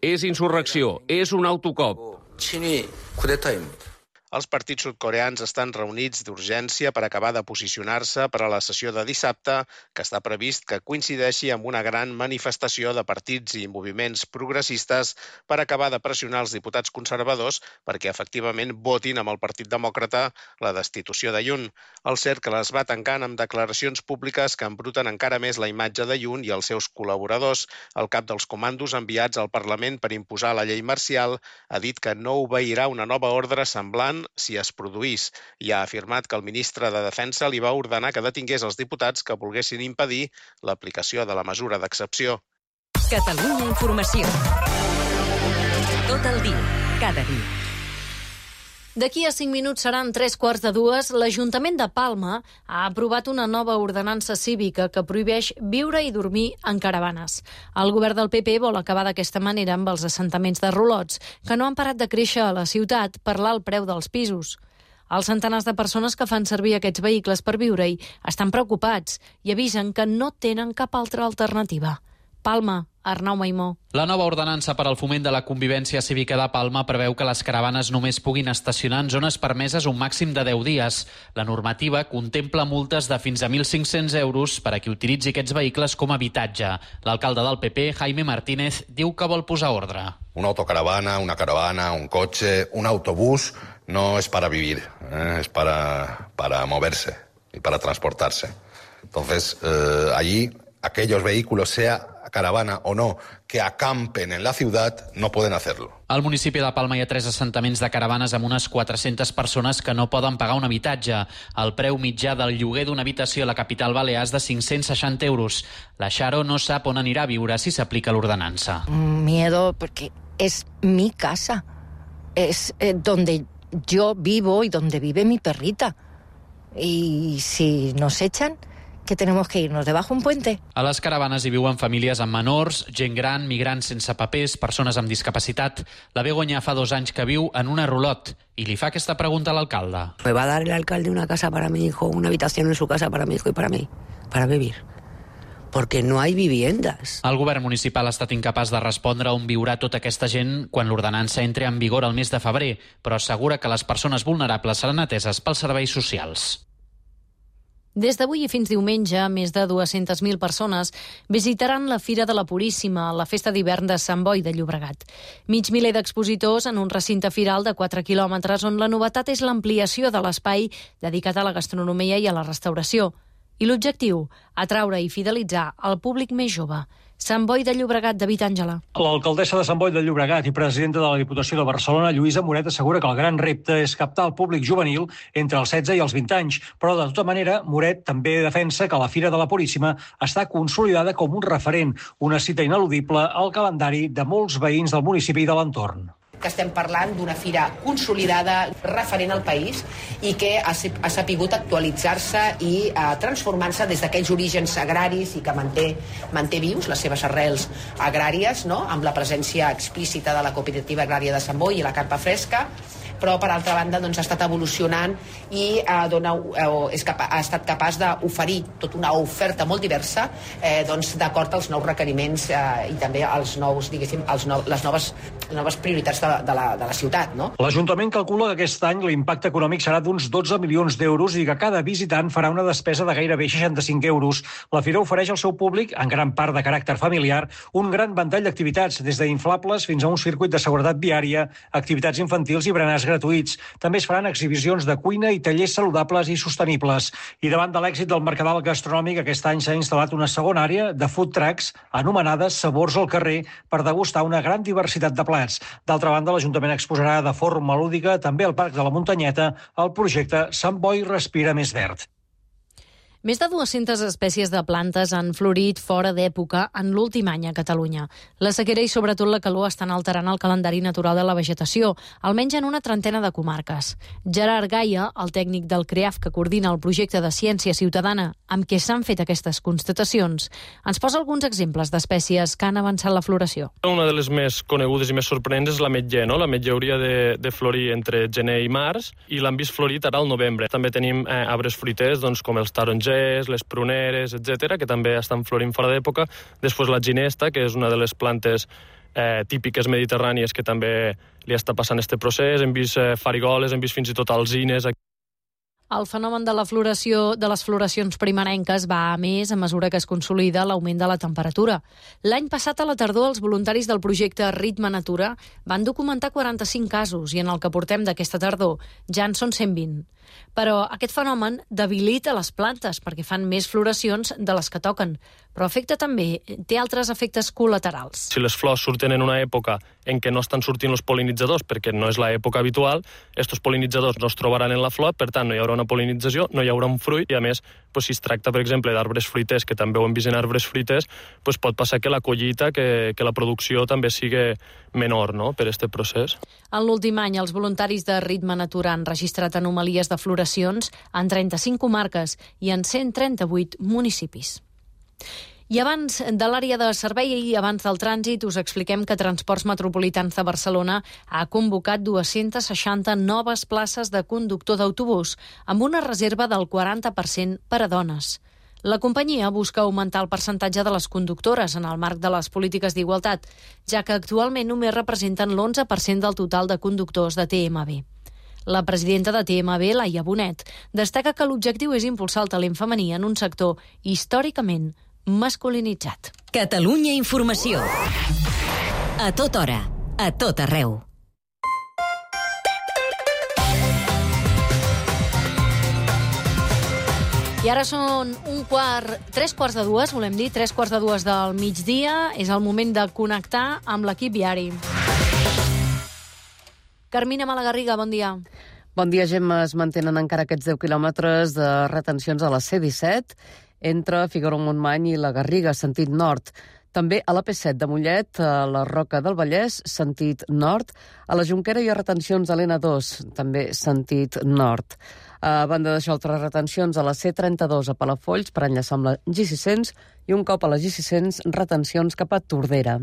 És insurrecció, és un autocop. Els partits sud-coreans estan reunits d'urgència per acabar de posicionar-se per a la sessió de dissabte, que està previst que coincideixi amb una gran manifestació de partits i moviments progressistes per acabar de pressionar els diputats conservadors perquè efectivament votin amb el Partit Demòcrata la destitució de Yoon. El cercle es va tancant amb declaracions públiques que embruten encara més la imatge de Yoon i els seus col·laboradors. El cap dels comandos enviats al Parlament per imposar la llei marcial ha dit que no obeirà una nova ordre semblant si es produís, i ha afirmat que el ministre de Defensa li va ordenar que detingués els diputats que volguessin impedir l'aplicació de la mesura d'excepció. Catalunya Informació. Tot el dia, cada dia. D'aquí a cinc minuts seran tres quarts de dues. L'Ajuntament de Palma ha aprovat una nova ordenança cívica que prohibeix viure i dormir en caravanes. El govern del P P vol acabar d'aquesta manera amb els assentaments de rolots, que no han parat de créixer a la ciutat per l'alt preu dels pisos. Els centenars de persones que fan servir aquests vehicles per viure-hi estan preocupats i avisen que no tenen cap altra alternativa. Palma, Arnau Maimó. La nova ordenança per al foment de la convivència cívica de Palma preveu que les caravanes només puguin estacionar en zones permeses un màxim de deu dies. La normativa contempla multes de fins a mil cinc-cents euros per a qui utilitzi aquests vehicles com a habitatge. L'alcalde del P P, Jaime Martínez, diu que vol posar ordre. Una autocaravana, una caravana, un coche, un autobús no es para vivir, ¿eh? Es para, para moverse y para transportarse. Entonces, eh, allí aquellos vehículos, sea caravana o no, que acampen en la ciudad, no pueden hacerlo. Al municipi de Palma hi ha tres assentaments de caravanes amb unes quatre-centes persones que no poden pagar un habitatge. El preu mitjà del lloguer d'una habitació a la capital balear és de cinc-cents seixanta euros. La Xaro no sap on anirà a viure si s'aplica l'ordenança. Miedo, porque es mi casa. Es eh, donde yo vivo y donde vive mi perrita. Y si nos echan, que tenemos que irnos debajo un puente. A les caravanes hi viuen famílies amb menors, gent gran, migrants sense papers, persones amb discapacitat. La Begoña fa dos anys que viu en una rulot i li fa aquesta pregunta a l'alcalde. ¿Me va a dar el alcalde una casa para mi hijo, una habitación en su casa para mi hijo y para mí, para vivir? Porque no hay viviendas. El govern municipal ha estat incapaç de respondre on viurà tota aquesta gent quan l'ordenança entri en vigor el mes de febrer, però assegura que les persones vulnerables seran ateses pels serveis socials. Des d'avui i fins diumenge, més de dues-centes mil persones visitaran la Fira de la Puríssima, la festa d'hivern de Sant Boi de Llobregat. Mig miler d'expositors en un recinte firal de quatre quilòmetres on la novetat és l'ampliació de l'espai dedicat a la gastronomia i a la restauració. I l'objectiu, atraure i fidelitzar el públic més jove. Sant Boi de Llobregat, David Àngela. L'alcaldessa de Sant Boi de Llobregat i presidenta de la Diputació de Barcelona, Lluïsa Moret, assegura que el gran repte és captar el públic juvenil entre els setze i els vint anys. Però, de tota manera, Moret també defensa que la Fira de la Puríssima està consolidada com un referent, una cita ineludible al calendari de molts veïns del municipi i de l'entorn. Que estem parlant d'una fira consolidada, referent al país i que ha, ha sapigut actualitzar-se i eh, transformar-se des d'aquells orígens agraris i que manté, manté vius les seves arrels agràries, no? Amb la presència explícita de la Cooperativa Agrària de Sant Boi i la Carpa Fresca, però per altra banda doncs, ha estat evolucionant i eh, dona, eh, és capa, ha estat capaç d'oferir tota una oferta molt diversa eh, doncs, d'acord als nous requeriments eh, i també als nous, diguéssim, als no, les noves, les noves prioritats de, de, la, de la ciutat. No? L'Ajuntament calcula que aquest any l'impacte econòmic serà d'uns dotze milions d'euros i que cada visitant farà una despesa de gairebé seixanta-cinc euros. La fira ofereix al seu públic, en gran part de caràcter familiar, un gran ventall d'activitats, des d'inflables fins a un circuit de seguretat viària, activitats infantils i berenars gratuïts. També es faran exhibicions de cuina i tallers saludables i sostenibles. I davant de l'èxit del mercadal gastronòmic, aquest any s'ha instal·lat una segona àrea de food trucks anomenada Sabors al carrer per degustar una gran diversitat de plats. D'altra banda, l'Ajuntament exposarà de forma lúdica també al Parc de la Muntanyeta el projecte Sant Boi Respira Més Verd. Més de dues-centes espècies de plantes han florit fora d'època en l'últim any a Catalunya. La sequera i sobretot la calor estan alterant el calendari natural de la vegetació, almenys en una trentena de comarques. Gerard Gaia, el tècnic del CREAF que coordina el projecte de ciència ciutadana amb què s'han fet aquestes constatacions, ens posa alguns exemples d'espècies que han avançat la floració. Una de les més conegudes i més sorprenents és l'ametller, no? L'ametller hauria de, de florir entre gener i març i l'han vist florit ara al novembre. També tenim eh, arbres fruiters, doncs, com els tarongers, les pruneres, etcètera, que també estan florint fora d'època. Després la ginesta, que és una de les plantes eh, típiques mediterrànies que també li està passant este procés. Hem vist eh, farigoles, hem vist fins i tot alzines. El fenomen de la floració de les floracions primerenques va a més a mesura que es consolida l'augment de la temperatura. L'any passat a la tardor els voluntaris del projecte Ritme Natura van documentar quaranta-cinc casos i en el que portem d'aquesta tardor ja en són cent vint. Però aquest fenomen debilita les plantes perquè fan més floracions de les que toquen, però afecta també, té altres efectes col·laterals. Si les flors surten en una època en què no estan sortint els pol·linitzadors perquè no és l'època habitual, estos pol·linitzadors no es trobaran en la flor, per tant no hi haurà una pol·linització, no hi haurà un fruit i a més, doncs, si es tracta, per exemple, d'arbres fruiters, que també ho hem vist en arbres fruiters, doncs pot passar que la collita, que, que la producció també sigui menor, no?, per aquest procés. En l'últim any, els voluntaris de Ritme Natura han registrat anomalies de floracions en trenta-cinc comarques i en cent trenta-vuit municipis. I abans de l'àrea de servei i abans del trànsit us expliquem que Transports Metropolitans de Barcelona ha convocat dues-centes seixanta noves places de conductor d'autobús amb una reserva del quaranta per cent per a dones. La companyia busca augmentar el percentatge de les conductores en el marc de les polítiques d'igualtat, ja que actualment només representen l'onze per cent del total de conductors de T M B. La presidenta de T M B, Laia Bonet, destaca que l'objectiu és impulsar el talent femení en un sector històricament masculinitzat. Catalunya Informació. A tota hora, a tot arreu. I ara són un quart, tres quarts de dues, volem dir, tres quarts de dues del migdia. És el moment de connectar amb l'equip viari. Carmina Malagarriga, bon dia. Bon dia, Gemma. Es mantenen encara aquests deu quilòmetres de retencions a la C disset entre Figaró-Montmany i la Garriga, sentit nord. També a la P set de Mollet, a la Roca del Vallès, sentit nord. A la Jonquera hi ha retencions a l'N dos, també sentit nord. A banda d'això, altres retencions a la C trenta-dos a Palafolls per enllaçar amb la G sis cents i un cop a la G sis cents retencions cap a Tordera.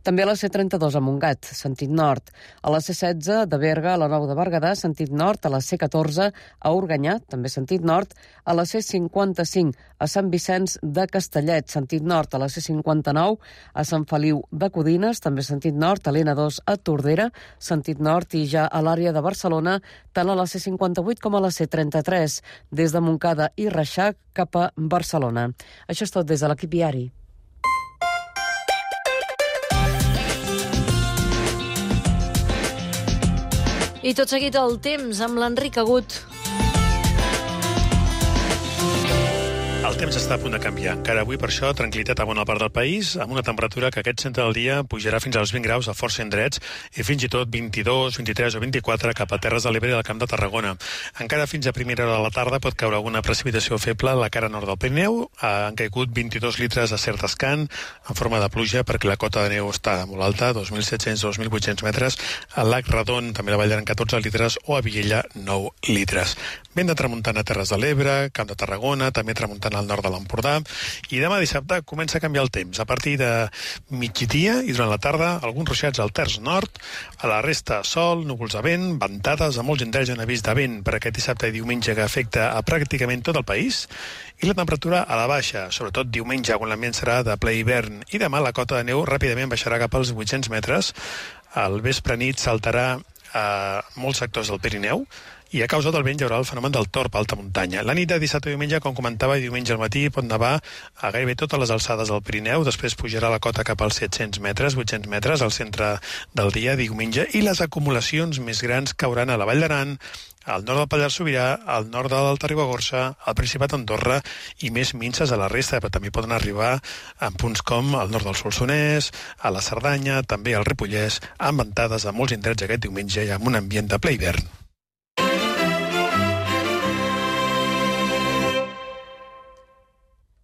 També a la C trenta-dos a Montgat, sentit nord. A la C setze de Berga a la Nou de Berguedà, sentit nord. A la C catorze a Organyà, també sentit nord. A la C cinquanta-cinc a Sant Vicenç de Castellet, sentit nord. A la C cinquanta-nou a Sant Feliu de Codines, també sentit nord. A l'N dos a Tordera, sentit nord. I ja a l'àrea de Barcelona, tant a la C cinquanta-vuit com a la C trenta-tres, des de Montcada i Reixac cap a Barcelona. Això és tot des de l'equip viari. I tot seguit el temps amb l'Enric Agut. El temps està a punt de canviar. Encara avui, per això, tranquil·litat a bona part del país, amb una temperatura que aquest centre del dia pujarà fins als vint graus a força indrets i fins i tot vint-i-dos, vint-i-tres o vint-i-quatre cap a Terres de l'Ebre i al Camp de Tarragona. Encara fins a primera hora de la tarda pot caure alguna precipitació feble a la cara nord del Pirineu. Han caigut vint-i-dos litres a cert escant en forma de pluja perquè la cota de neu està molt alta, dos mil set-cents a dos mil vuit-cents metres. Al Lac Redon també la Vall d'Aran catorze litres o a Viella nou litres. Vent de tramuntana a Terres de l'Ebre, Camp de Tarragona, també tramuntana al nord de l'Empordà, i demà dissabte comença a canviar el temps. A partir de migdia i durant la tarda, alguns ruixats al terç nord, a la resta sol, núvols de vent, ventades, a molts indrets en avís de vent per aquest dissabte i diumenge que afecta a pràcticament tot el país, i la temperatura a la baixa, sobretot diumenge, quan l'ambient serà de ple hivern, i demà la cota de neu ràpidament baixarà cap als vuit-cents metres. Al vespre nit saltarà a molts sectors del Pirineu, i a causa del vent hi haurà el fenomen del torb a alta muntanya. La nit de dissabte i diumenge, com comentava, i diumenge al matí pot nevar a gairebé totes les alçades del Pirineu, després pujarà la cota cap als set-cents metres, vuit-cents metres al centre del dia, diumenge, i les acumulacions més grans cauran a la Vall d'Aran, al nord del Pallars Sobirà, al nord de l'Alta Ribagorça, al Principat d'Andorra i més minces a la resta, però també poden arribar en punts com al nord del Solsonès, a la Cerdanya, també al Ripollès, amb ventades a molts indrets aquest diumenge i amb un ambient de ple hivern.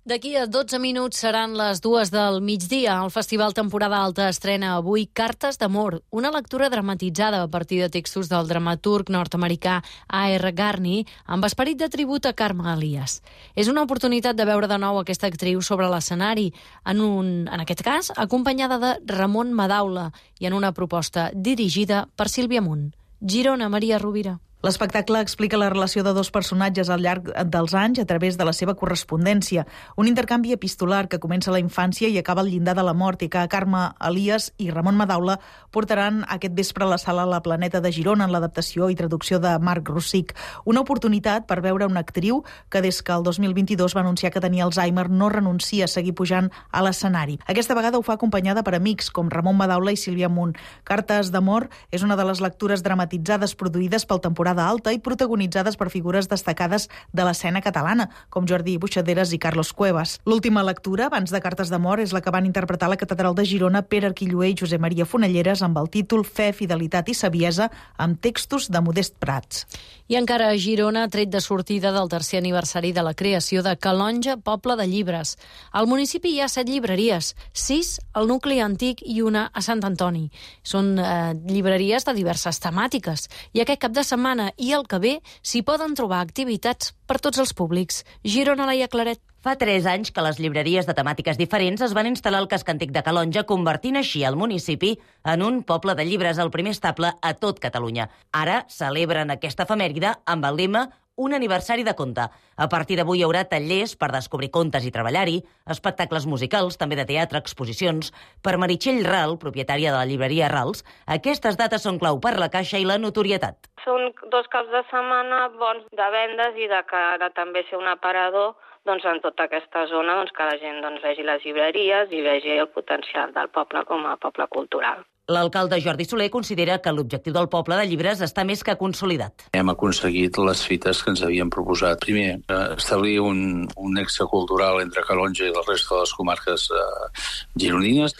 D'aquí a dotze minuts seran les dues del migdia. El Festival Temporada Alta estrena avui Cartes d'amor, una lectura dramatitzada a partir de textos del dramaturg nord-americà A R Garney amb esperit de tribut a Carme Elias. És una oportunitat de veure de nou aquesta actriu sobre l'escenari, en, un, en aquest cas acompanyada de Ramon Madaula i en una proposta dirigida per Sílvia Munt. Girona, Maria Rovira. L'espectacle explica la relació de dos personatges al llarg dels anys a través de la seva correspondència. Un intercanvi epistolar que comença a la infància i acaba al llindar de la mort i que Carme Elias i Ramon Madaula portaran aquest vespre a la sala La Planeta de Girona en l'adaptació i traducció de Marc Rossich. Una oportunitat per veure una actriu que des que el dos mil vint-i-dos va anunciar que tenia Alzheimer no renuncia a seguir pujant a l'escenari. Aquesta vegada ho fa acompanyada per amics com Ramon Madaula i Sílvia Munt. Cartes d'amor és una de les lectures dramatitzades produïdes pel Temporada Alta i protagonitzades per figures destacades de l'escena catalana, com Jordi Buixaderes i Carlos Cuevas. L'última lectura, abans de Cartes d'amor, és la que van interpretar a la Catedral de Girona Pere Arquilloé i Josep Maria Fonelleres amb el títol Fe, fidelitat i saviesa, amb textos de Modest Prats. I encara a Girona, tret de sortida del tercer aniversari de la creació de Calonge, poble de llibres. Al municipi hi ha set llibreries, sis al nucli antic i una a Sant Antoni. Són eh, llibreries de diverses temàtiques i aquest cap de setmana i el que ve s'hi poden trobar activitats per tots els públics. Girona, Laia Claret. Fa tres anys que les llibreries de temàtiques diferents es van instal·lar al casc antic de Calonge, convertint així el municipi en un poble de llibres, el primer estable a tot Catalunya. Ara celebren aquesta efemèride amb el lema Un aniversari de conte. A partir d'avui hi haurà tallers per descobrir contes i treballar-hi, espectacles musicals, també de teatre, exposicions. Per Meritxell Ral, propietària de la llibreria Rals, aquestes dates són clau per la caixa i la notorietat. Són dos caps de setmana bons de vendes i de cara també ser un aparador doncs, en tota aquesta zona, doncs, que la gent doncs, vegi les llibreries i vegi el potencial del poble com a poble cultural. L'alcalde Jordi Soler considera que l'objectiu del poble de llibres està més que consolidat. Hem aconseguit les fites que ens havíem proposat. Primer, establir un, un nexe cultural entre Calonge i la resta de les comarques eh, gironines.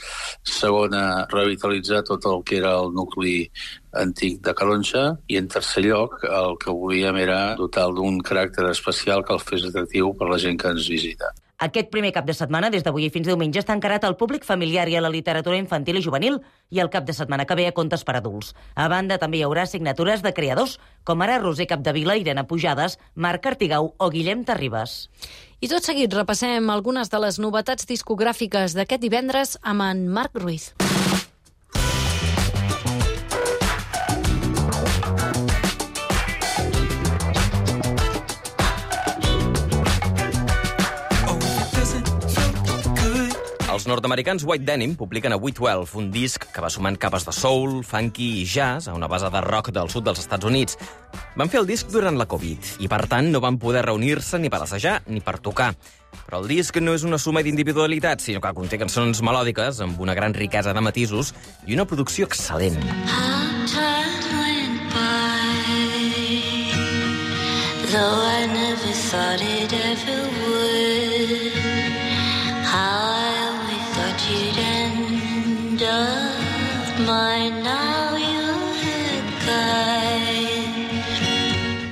Segona, revitalitzar tot el que era el nucli antic de Calonge. I en tercer lloc, el que volíem era dotar d'un caràcter especial que el fes atractiu per la gent que ens visita. Aquest primer cap de setmana, des d'avui i fins diumenge, està encarat al públic familiar i a la literatura infantil i juvenil i el cap de setmana que ve a contes per adults. A banda, també hi haurà signatures de creadors, com ara Roser Capdevila, Irene Pujades, Marc Artigau o Guillem Terribas. I tot seguit repassem algunes de les novetats discogràfiques d'aquest divendres amb en Marc Ruiz. Els nord-americans White Denim publiquen avui dotze, un disc que va sumant capes de soul, funky i jazz a una base de rock del sud dels Estats Units. Van fer el disc durant la Covid i, per tant, no van poder reunir-se ni per assajar ni per tocar. Però el disc no és una suma d'individualitats, sinó que conté cançons melòdiques amb una gran riquesa de matisos i una producció excel·lent. Though I never thought it ever would, how I always thought you'd end up mine, now you're gone.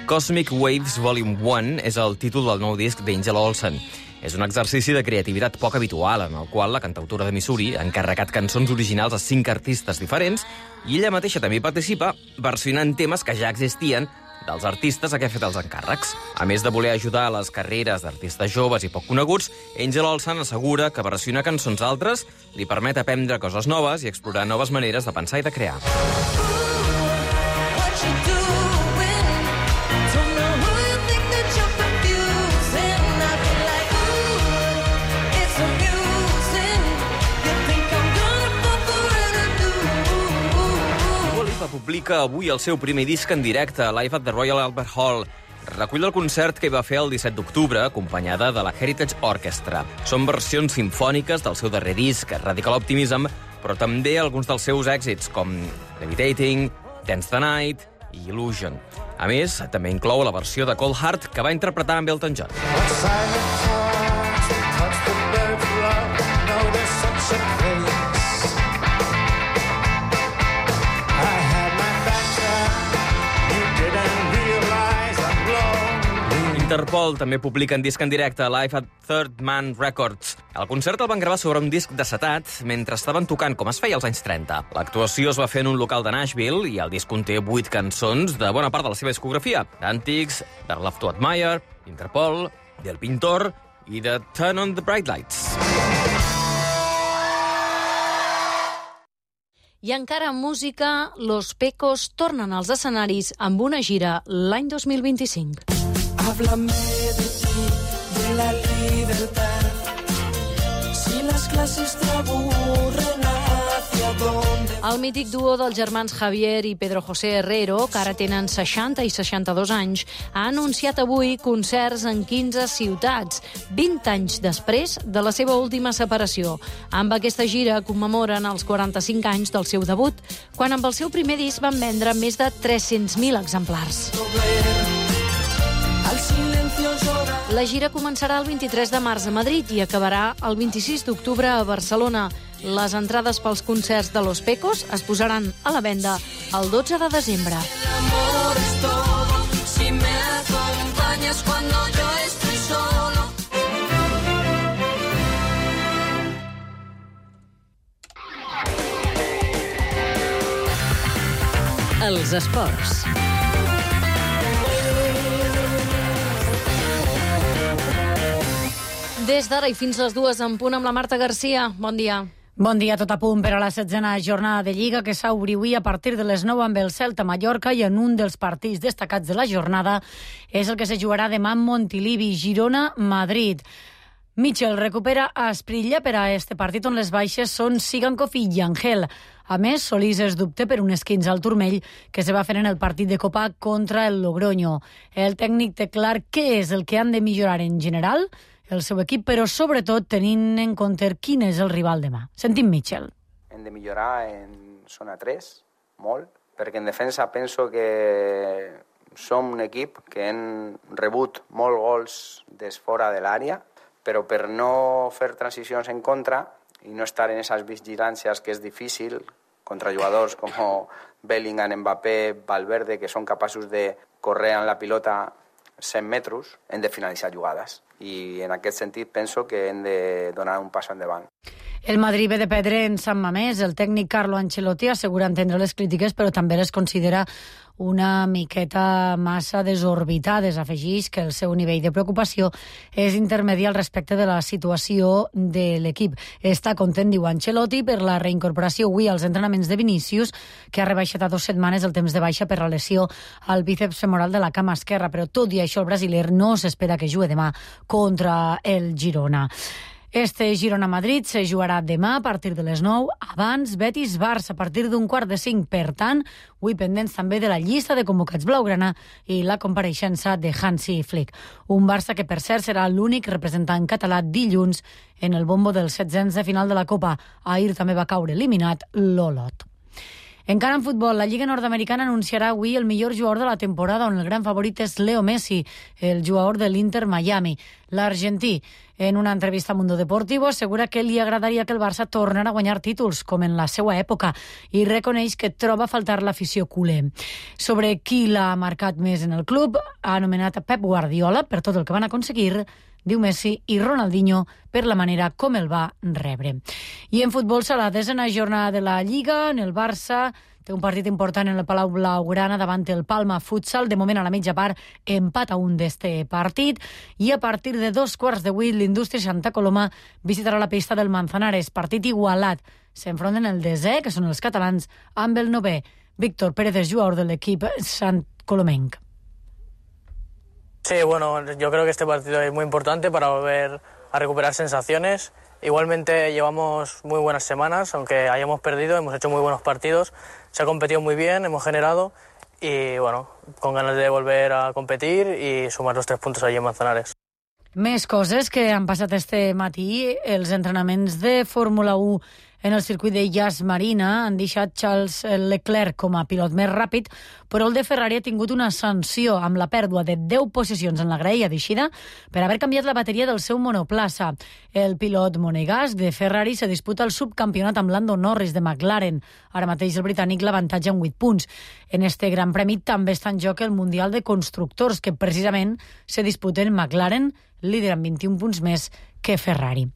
Cosmic Waves Volume one és el títol del nou disc d'Angel Olsen. És un exercici de creativitat poc habitual, en el qual la cantautora de Missouri ha encarregat cançons originals a cinc artistes diferents i ella mateixa també participa versionant temes que ja existien dels artistes a què ha fet els encàrrecs. A més de voler ajudar a les carreres d'artistes joves i poc coneguts, Angel Olsen assegura que versionar cançons altres li permet aprendre coses noves i explorar noves maneres de pensar i de crear. Publica avui el seu primer disc en directe, Live at the Royal Albert Hall. Recull el concert que hi va fer el disset d'octubre, acompanyada de la Heritage Orchestra. Són versions simfòniques del seu darrer disc, Radical Optimism, però també alguns dels seus èxits, com Levitating, Dance the Night i Illusion. A més, també inclou la versió de Cold Heart que va interpretar amb Elton John. Interpol també publiquen disc en directe, Live at Third Man Records. El concert el van gravar sobre un disc d'acetat mentre estaven tocant, com es feia als anys trenta. L'actuació es va fer en un local de Nashville i el disc conté vuit cançons de bona part de la seva discografia. Antics, The Love to Admire, Interpol, Del Pintor i The Turn on the Bright Lights. I encara en música, Los Pecos tornen als escenaris amb una gira l'any dos mil vint-i-cinc. Háblame de ti, de la libertad. Si las clases te aburren, ¿hacia dónde? El mític duo dels germans Javier i Pedro José Herrero, que ara tenen seixanta i seixanta-dos anys, ha anunciat avui concerts en quinze ciutats, vint anys després de la seva última separació. Amb aquesta gira commemoren els quaranta-cinc anys del seu debut, quan amb el seu primer disc van vendre més de tres-cents mil exemplars. La gira començarà el vint-i-tres de març a Madrid i acabarà el vint-i-sis d'octubre a Barcelona. Les entrades pels concerts de Los Pecos es posaran a la venda el dotze de desembre. Els esports. Des d'ara i fins les dues en punt amb la Marta Garcia. Bon dia. Bon dia, tot a punt per a la setzena jornada de Lliga que s'obri avui a partir de les nou amb el Celta Mallorca i en un dels partits destacats de la jornada és el que se jugarà demà en Montilivi, Girona-Madrid. Mitchell recupera a Esprilla per a este partit on les baixes són Sigankov i Yangel. A més, Solís es dubte per un esquinç al turmell que se va fer en el partit de Copa contra el Logroño. El tècnic té clar què és el que han de millorar en general el seu equip, però sobretot tenint en compte quin és el rival demà. Sentim Mitchell. Hem de millorar en zona tres, molt, perquè en defensa penso que som un equip que hem rebut molts gols des fora de l'àrea, però per no fer transicions en contra i no estar en esas vigilàncies que és difícil contra jugadors com Bellingham, Mbappé, Valverde, que són capaços de córrer amb la pilota cent metres, hem de finalitzar jugades. I en aquest sentit penso que hem de donar un pas endavant. El Madrid ve de perdre en Sant Mamés. El tècnic Carlo Ancelotti assegura entendre les crítiques, però també les considera una miqueta massa desorbitades. Afegeix que el seu nivell de preocupació és intermedi al respecte de la situació de l'equip. Està content, diu Ancelotti, per la reincorporació avui als entrenaments de Vinícius, que ha rebaixat a dues setmanes el temps de baixa per la lesió al bíceps femoral de la cama esquerra, però tot i això el brasiler no s'espera que jugui demà contra el Girona. Este Girona-Madrid se jugarà demà a partir de les nou, abans Betis-Barça a partir d'un quart de cinc. Per tant, avui pendents també de la llista de convocats blaugrana i la compareixença de Hansi Flick. Un Barça que, per cert, serà l'únic representant català dilluns en el bombo dels setzents de final de la Copa. Ahir també va caure eliminat l'Olot. Encara en futbol, la Lliga Nord-Americana anunciarà avui el millor jugador de la temporada, on el gran favorit és Leo Messi, el jugador de l'Inter Miami. L'argentí, en una entrevista a Mundo Deportivo, assegura que li agradaria que el Barça tornara a guanyar títols, com en la seva època, i reconeix que troba a faltar l'afició culer. Sobre qui l'ha marcat més en el club, ha anomenat a Pep Guardiola per tot el que van aconseguir, diu Messi, i Ronaldinho per la manera com el va rebre. I en futbol serà la desena jornada de la Lliga. En el Barça té un partit important en el Palau Blaugrana davant el Palma Futsal. De moment, a la mitja part, empat a un d'este partit. I a partir de dos quarts de vuit, l'Indústria Santa Coloma visitarà la pista del Manzanares. Partit igualat. S'enfronten el desè, que són els catalans, amb el novè. Víctor Pérez és jugador de l'equip Sant Colomenc. Sí, bueno, yo creo que este partido es muy importante para volver a recuperar sensaciones. Igualmente llevamos muy buenas semanas, aunque hayamos perdido, hemos hecho muy buenos partidos, se ha competido muy bien, hemos generado y bueno, con ganas de volver a competir y sumar los tres puntos allí en Manzanares. Més coses que han passat este matí, els entrenaments de Fórmula u En el circuit de Yas Marina han deixat Charles Leclerc com a pilot més ràpid, però el de Ferrari ha tingut una sanció amb la pèrdua de deu posicions en la graella d'eixida per haver canviat la bateria del seu monoplaça. El pilot monegasc de Ferrari se disputa el subcampionat amb Lando Norris de McLaren. Ara mateix el britànic l'avantatja en vuit punts. En este Gran Premi també està en joc el Mundial de Constructors, que precisament se disputen McLaren, líder amb vint-i-un punts més que Ferrari.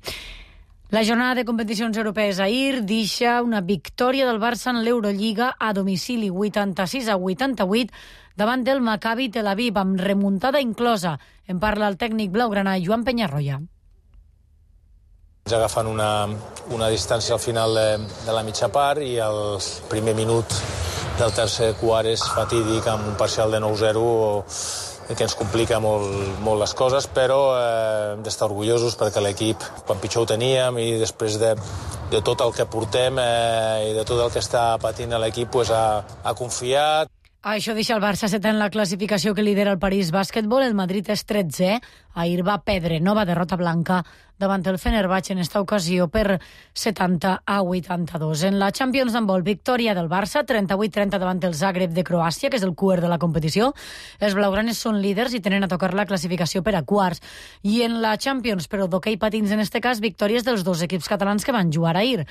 La jornada de competicions europees ahir deixa una victòria del Barça en l'Eurolliga a domicili vuitanta-sis a vuitanta-vuit davant del Maccabi Tel Aviv, amb remuntada inclosa. En parla el tècnic blaugrana Joan Peñarroya. Agafant una, una distància al final de, de la mitja part i el primer minut del tercer quart és fatídic amb un parcial de nou zero que ens complica molt, molt les coses, però eh, hem d'estar orgullosos perquè l'equip, quan pitjor ho teníem i després de, de tot el que portem eh, i de tot el que està patint l'equip, pues, ha, ha confiat. Això deixa el Barça setè en la classificació que lidera el París Bàsquetbol. El Madrid és tretzè. Ahir va perdre nova derrota blanca davant el Fenerbahçe en esta ocasió per setanta a vuitanta-dos. En la Champions d'handbol, victòria del Barça, trenta-vuit trenta davant el Zagreb de Croàcia, que és el cuer de la competició. Els blaugranes són líders i tenen a tocar la classificació per a quarts. I en la Champions, però d'hoquei patins en este cas, victòries dels dos equips catalans que van jugar ahir.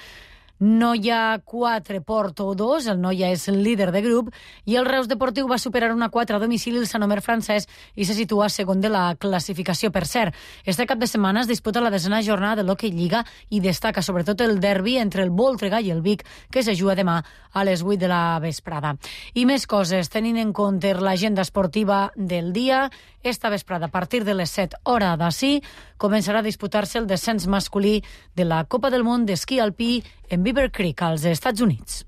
Noia quatre, Porto dos, el Noia és el líder de grup, i el Reus Deportiu va superar una quatre a domicili el Sant Omer francès i se situa segon de la classificació. Per cert, este cap de setmana es disputa la desena jornada de l'Hockey Lliga i destaca sobretot el derbi entre el Voltregà i el Vic, que se juga demà a les vuit de la vesprada. I més coses, tenint en compte l'agenda esportiva del dia, esta vesprada, a partir de les set hora d'ací, començarà a disputar-se el descens masculí de la Copa del Món d'esquí alpí en Beaver Creek, als Estats Units.